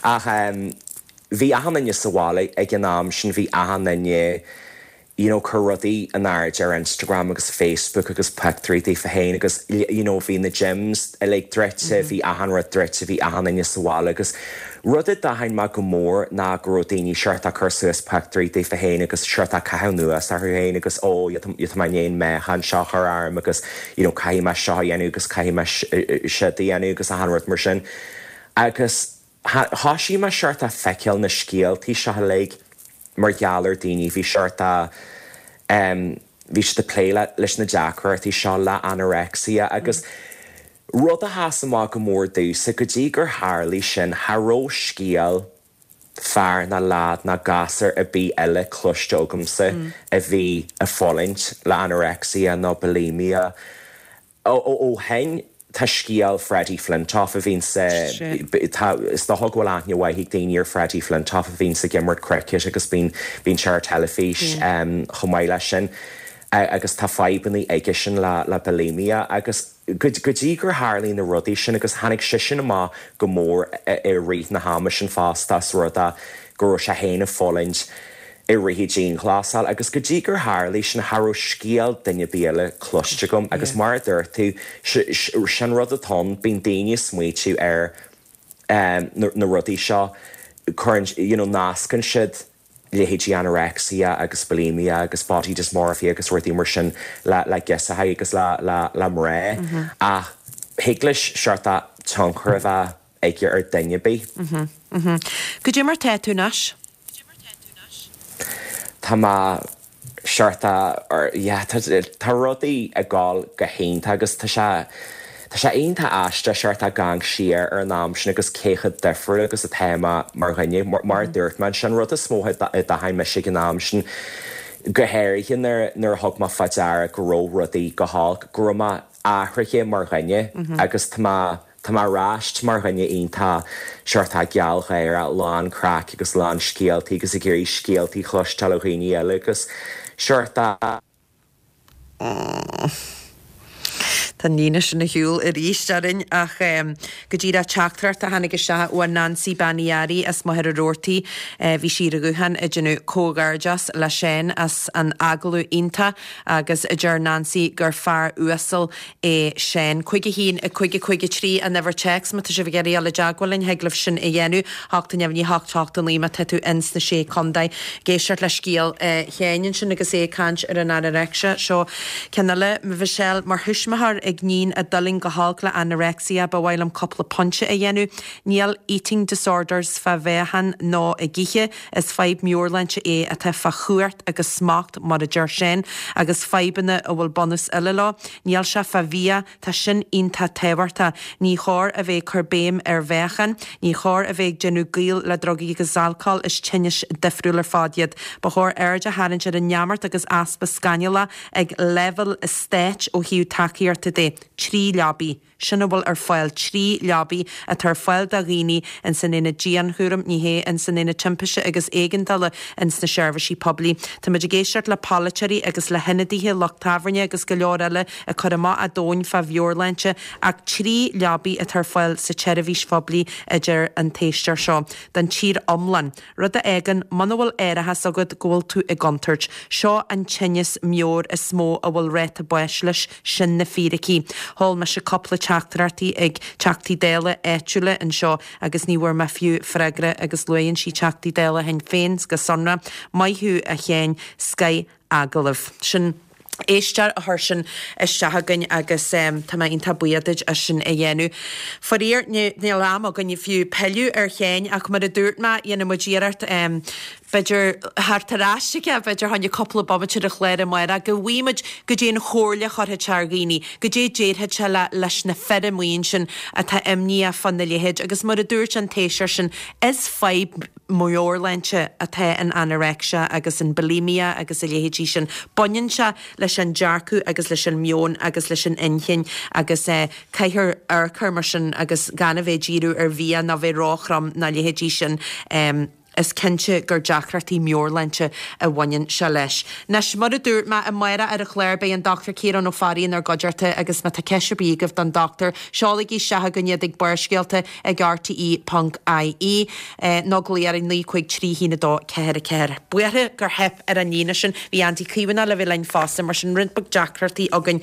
ach um, bhí achan duine sa bhaile ag an am sin bhí achan duine you know, cur rudaí in airde ar Instagram agus Facebook agus pictiúirí daofa féin agus you know, bhí na gyms uilig druidte mm -hmm. bhí achan rud druidte bhí achan duine sa bhaile agus rud a d'aithin mé go mór ná go raibh daoine seort ag cur suas pictiúirí daofa féin agus seort ag caitheamh anuas orthu féin agus ó tá mé meáchan seo a chur orm agus you know, caithfidh mé seo a dhéanamh agus caithfidh mé seo a dhéanamh agus achan rud mar sin. Agus thosaigh mé seort ag feiceáil na scéaltaí seo uilig mar gheall ar daoine bhí seort um, bhí siad ag plé leis na deacrachtaí seo le anorexia agus mm. rud a sheas amach go mór domhsa go dtí gur tharla sin cha raibh scéal fear ná leaid ná gasúr ar bith eile cloiste agamsa mm. a bhí ag fulaingt le anorexia nó bulimia ó ó shin Tá scéal Freddie Flintoff a bhíonn sa is dócha go bhfuil aithne mhaith ag daoine ar Freddie Flintoff a bhíonn ag imirt cricket agus bíonn bíonn sé ar teilifís um, chomh maith leis sin. agus tá fadhbanna aige sin le le bulimia agus go dtí gur tharla na rudaí sin agus tháinig sé sin amach go mór i rith na hama sin fosta as rud é go raibh sé féin ag fulaingt i rith an dianghlasáil agus go dtí gur tharla sin cha raibh scéal duine ar bith eile cloiste agam agus mar a dúirt tú sin rud atá bíonn daoine ag smaoitiú ar um, na, na rudaí seo cuireann you know, nascann siad leithéidí anorexia agus bulimia agus body dysmorphia agus rudaí mar sin le le girseachaí agus le le le mná mm -hmm. ach thig leis seort tionchar a bheith aige ar duine ar bith. Mm -hmm. Mm -hmm. Goidé mar tá tú anois? Tá má seort tá rudaí ag gabháil go hiontach agus tá sé Tá sé iontach aisteach seort ag amharc siar ar an am sin agus cé chomh difriúil agus atá mé mar dhuine mar dúirt mé sin rud is mó a d'aithin mise ag an am sin go háirithe nuair a thug mé faoi deara go raibh rudaí go holc go raibh mé athraithe mar dhuine agus tá mé tá mé ar ais mar dhuine iontach seort gealgháireach lán craic agus lán scéaltaí agus ag iarraidh scéaltaí a chloisteáil ó dhaoine eile agus seort Tá an líne sin ar shiúl arís orainn ach go díreach teachtaireacht a tháinig isteach ó Nancy Bean Uí Fhearraigh as Machaire Rabhartaigh bhí sí ar an ghuthán ag déanamh comhghairdeas le Seán as an agallamh iontach agus deir Nancy gur fear uasal é Seán. Cúig a haon a cúig a cúig a trí an uimhir téacs má tá sibh ag iarraidh dul i dteagmháil linn thig libh sin a dhéanamh hocht a neamhní hocht hocht a naoi má tá tú ins na sé contae. Ag éisteacht le scéal Sheáin ansin agus é ag caint ar an anorexia seo ceann eile Michelle mar thuismitheoir ag iníon a d'fhulaing go holc le anorexia ba mhaith liom cúpla pointe a dhéanamh. Níl eating disorders fá mheáchan nó ag ithe is fadhb meabhairshláinte é atá fá chumhacht agus smacht mar a deir Seán agus fadhbanna a bhfuil bunús eile leo. Níl sé fá bhia tá sin iontach tábhachtach. Ní chóir a bheith cur béim ar mheáchan, ní chóir a bheith ag déanamh gaol le drugaí agus alcól is tinnis difriúil ar fad iad. Ba chóir aird a tharraingt ar an neamart agus easpa scannalach ag leibhéal stáit ó thaobh tacaíochta de trí leabaí. Sin a bhfuil ar fáil trí leabaí atá ar fáil do dhaoine in san ina dianchúram ní hé in san ina timpiste agus éigeandála in sna seirbhísí poiblí. Táimid ag éisteacht le polaiteoirí agus le hionadaithe lucht tábhairne agus go leor eile ag cur amach a dtóin fá mheabhairshláinte ach trí leabaí atá ar fáil sa tseirbhís phoiblí idir an t-éisteoir seo don tír iomlán. Rud a fhágann muna bhfuil árachas agat go bhfuil tú i gcontúirt. Seo an tinneas meabhrach is mó a bhfuil ráta báis leis sin na fíricí. Sheol mise cúpla teachtaireachtaí ag teachtaí Dála áitiúla anseo agus ní bhfuair mé fiú freagra agus luann sí teachtaí Dála Shinn Féin go sonrach maith thú a Sheáin scoth agallamh. Sin éisteoir a chuir sin isteach againn agus um, tá mé iontach buíoch duit as sin a dhéanamh. Faraor níl am againn fiú pilleadh ar Sheán ach mar a dúirt mé dhéanfaidh muid iarracht um, b'fhéidir theacht ar ais aige b'fhéidir tháinig cúpla bomaite ar an chlár amárach go bhfaighimid goidé an chomhairle a chuirfeadh sé ar dhaoine, goidé déarfadh sé le leis na fir amuigh ansin atá imníoch fá na leithéid agus mar a dúirt an t-éisteoir sin is fadhb meabhairshláinte atá in anorexia agus in bulimia agus a leithéidí sin. Baineann sé leis an dearcadh agus leis an meon agus leis an inchinn agus eh, caithfear amharc mar sin agus gan a bheith díriú ar bhia ná bheith róthrom ná leithéidí sin. Um, is cinnte gur deacrachtaí meabhairshláinte a bhaineann sé leis. Anois mar a dúirt mé amárach ar an chlár beidh an Dr Ciarán Ó Fearraigh inár gcuideachta agus má tá ceist ar bith agaibh don dochtúir seolaigí isteach chugainn iad ag Barrscéalta ag RTE ponc IE nó glaoigh ar naoi cúig trí haon a dó ceathair a ceathair. Buartha gur theip ar an líne sin bhí Andy Caomhánach le bheith linn fosta mar sin roinnt beag deacrachtaí againn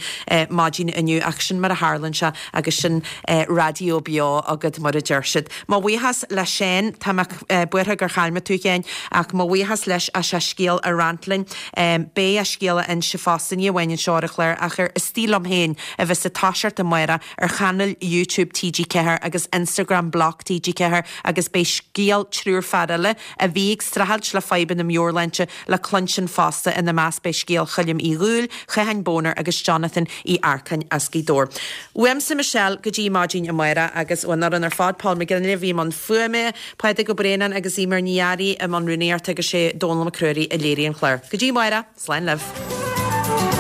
maidin inniu ach sin mar a tharlaíonn sé agus sin raidió beo agat mar a deir siad. Mo bhuíochas le Seán tá mé buartha gur chaill mé tú féin ach mo bhuíochas leis as a scéal a roinnt linn. Beidh a scéal á inse fosta ní amháin anseo ar an chlár ach ar Istigh Liom Féin a bheas ag toiseacht amárach ar chainéal YouTube TG Ceathair agus Instagram Bloc TG Ceathair agus beidh scéal triúr fear eile a bhí ag streachailt le fadhbanna meabhairshláinte le cluinstin fosta ina measc beidh scéal Choilm Uí Dhúill, Chatháin Boner agus Jonathan Uí Earcáin as Gaoth Dobhair. Uaimse Michelle go dtí maidin amárach agus ón fhoireann ar fad Paul McGinley bhí i mbun fuaime, Pádraig Ó Braonáin agus Eimear Ní Fhearraigh i mbun rúnaíochta agus sé Dónal Mac Ruairí a léirigh an clár. Go dtí amárach, slán libh.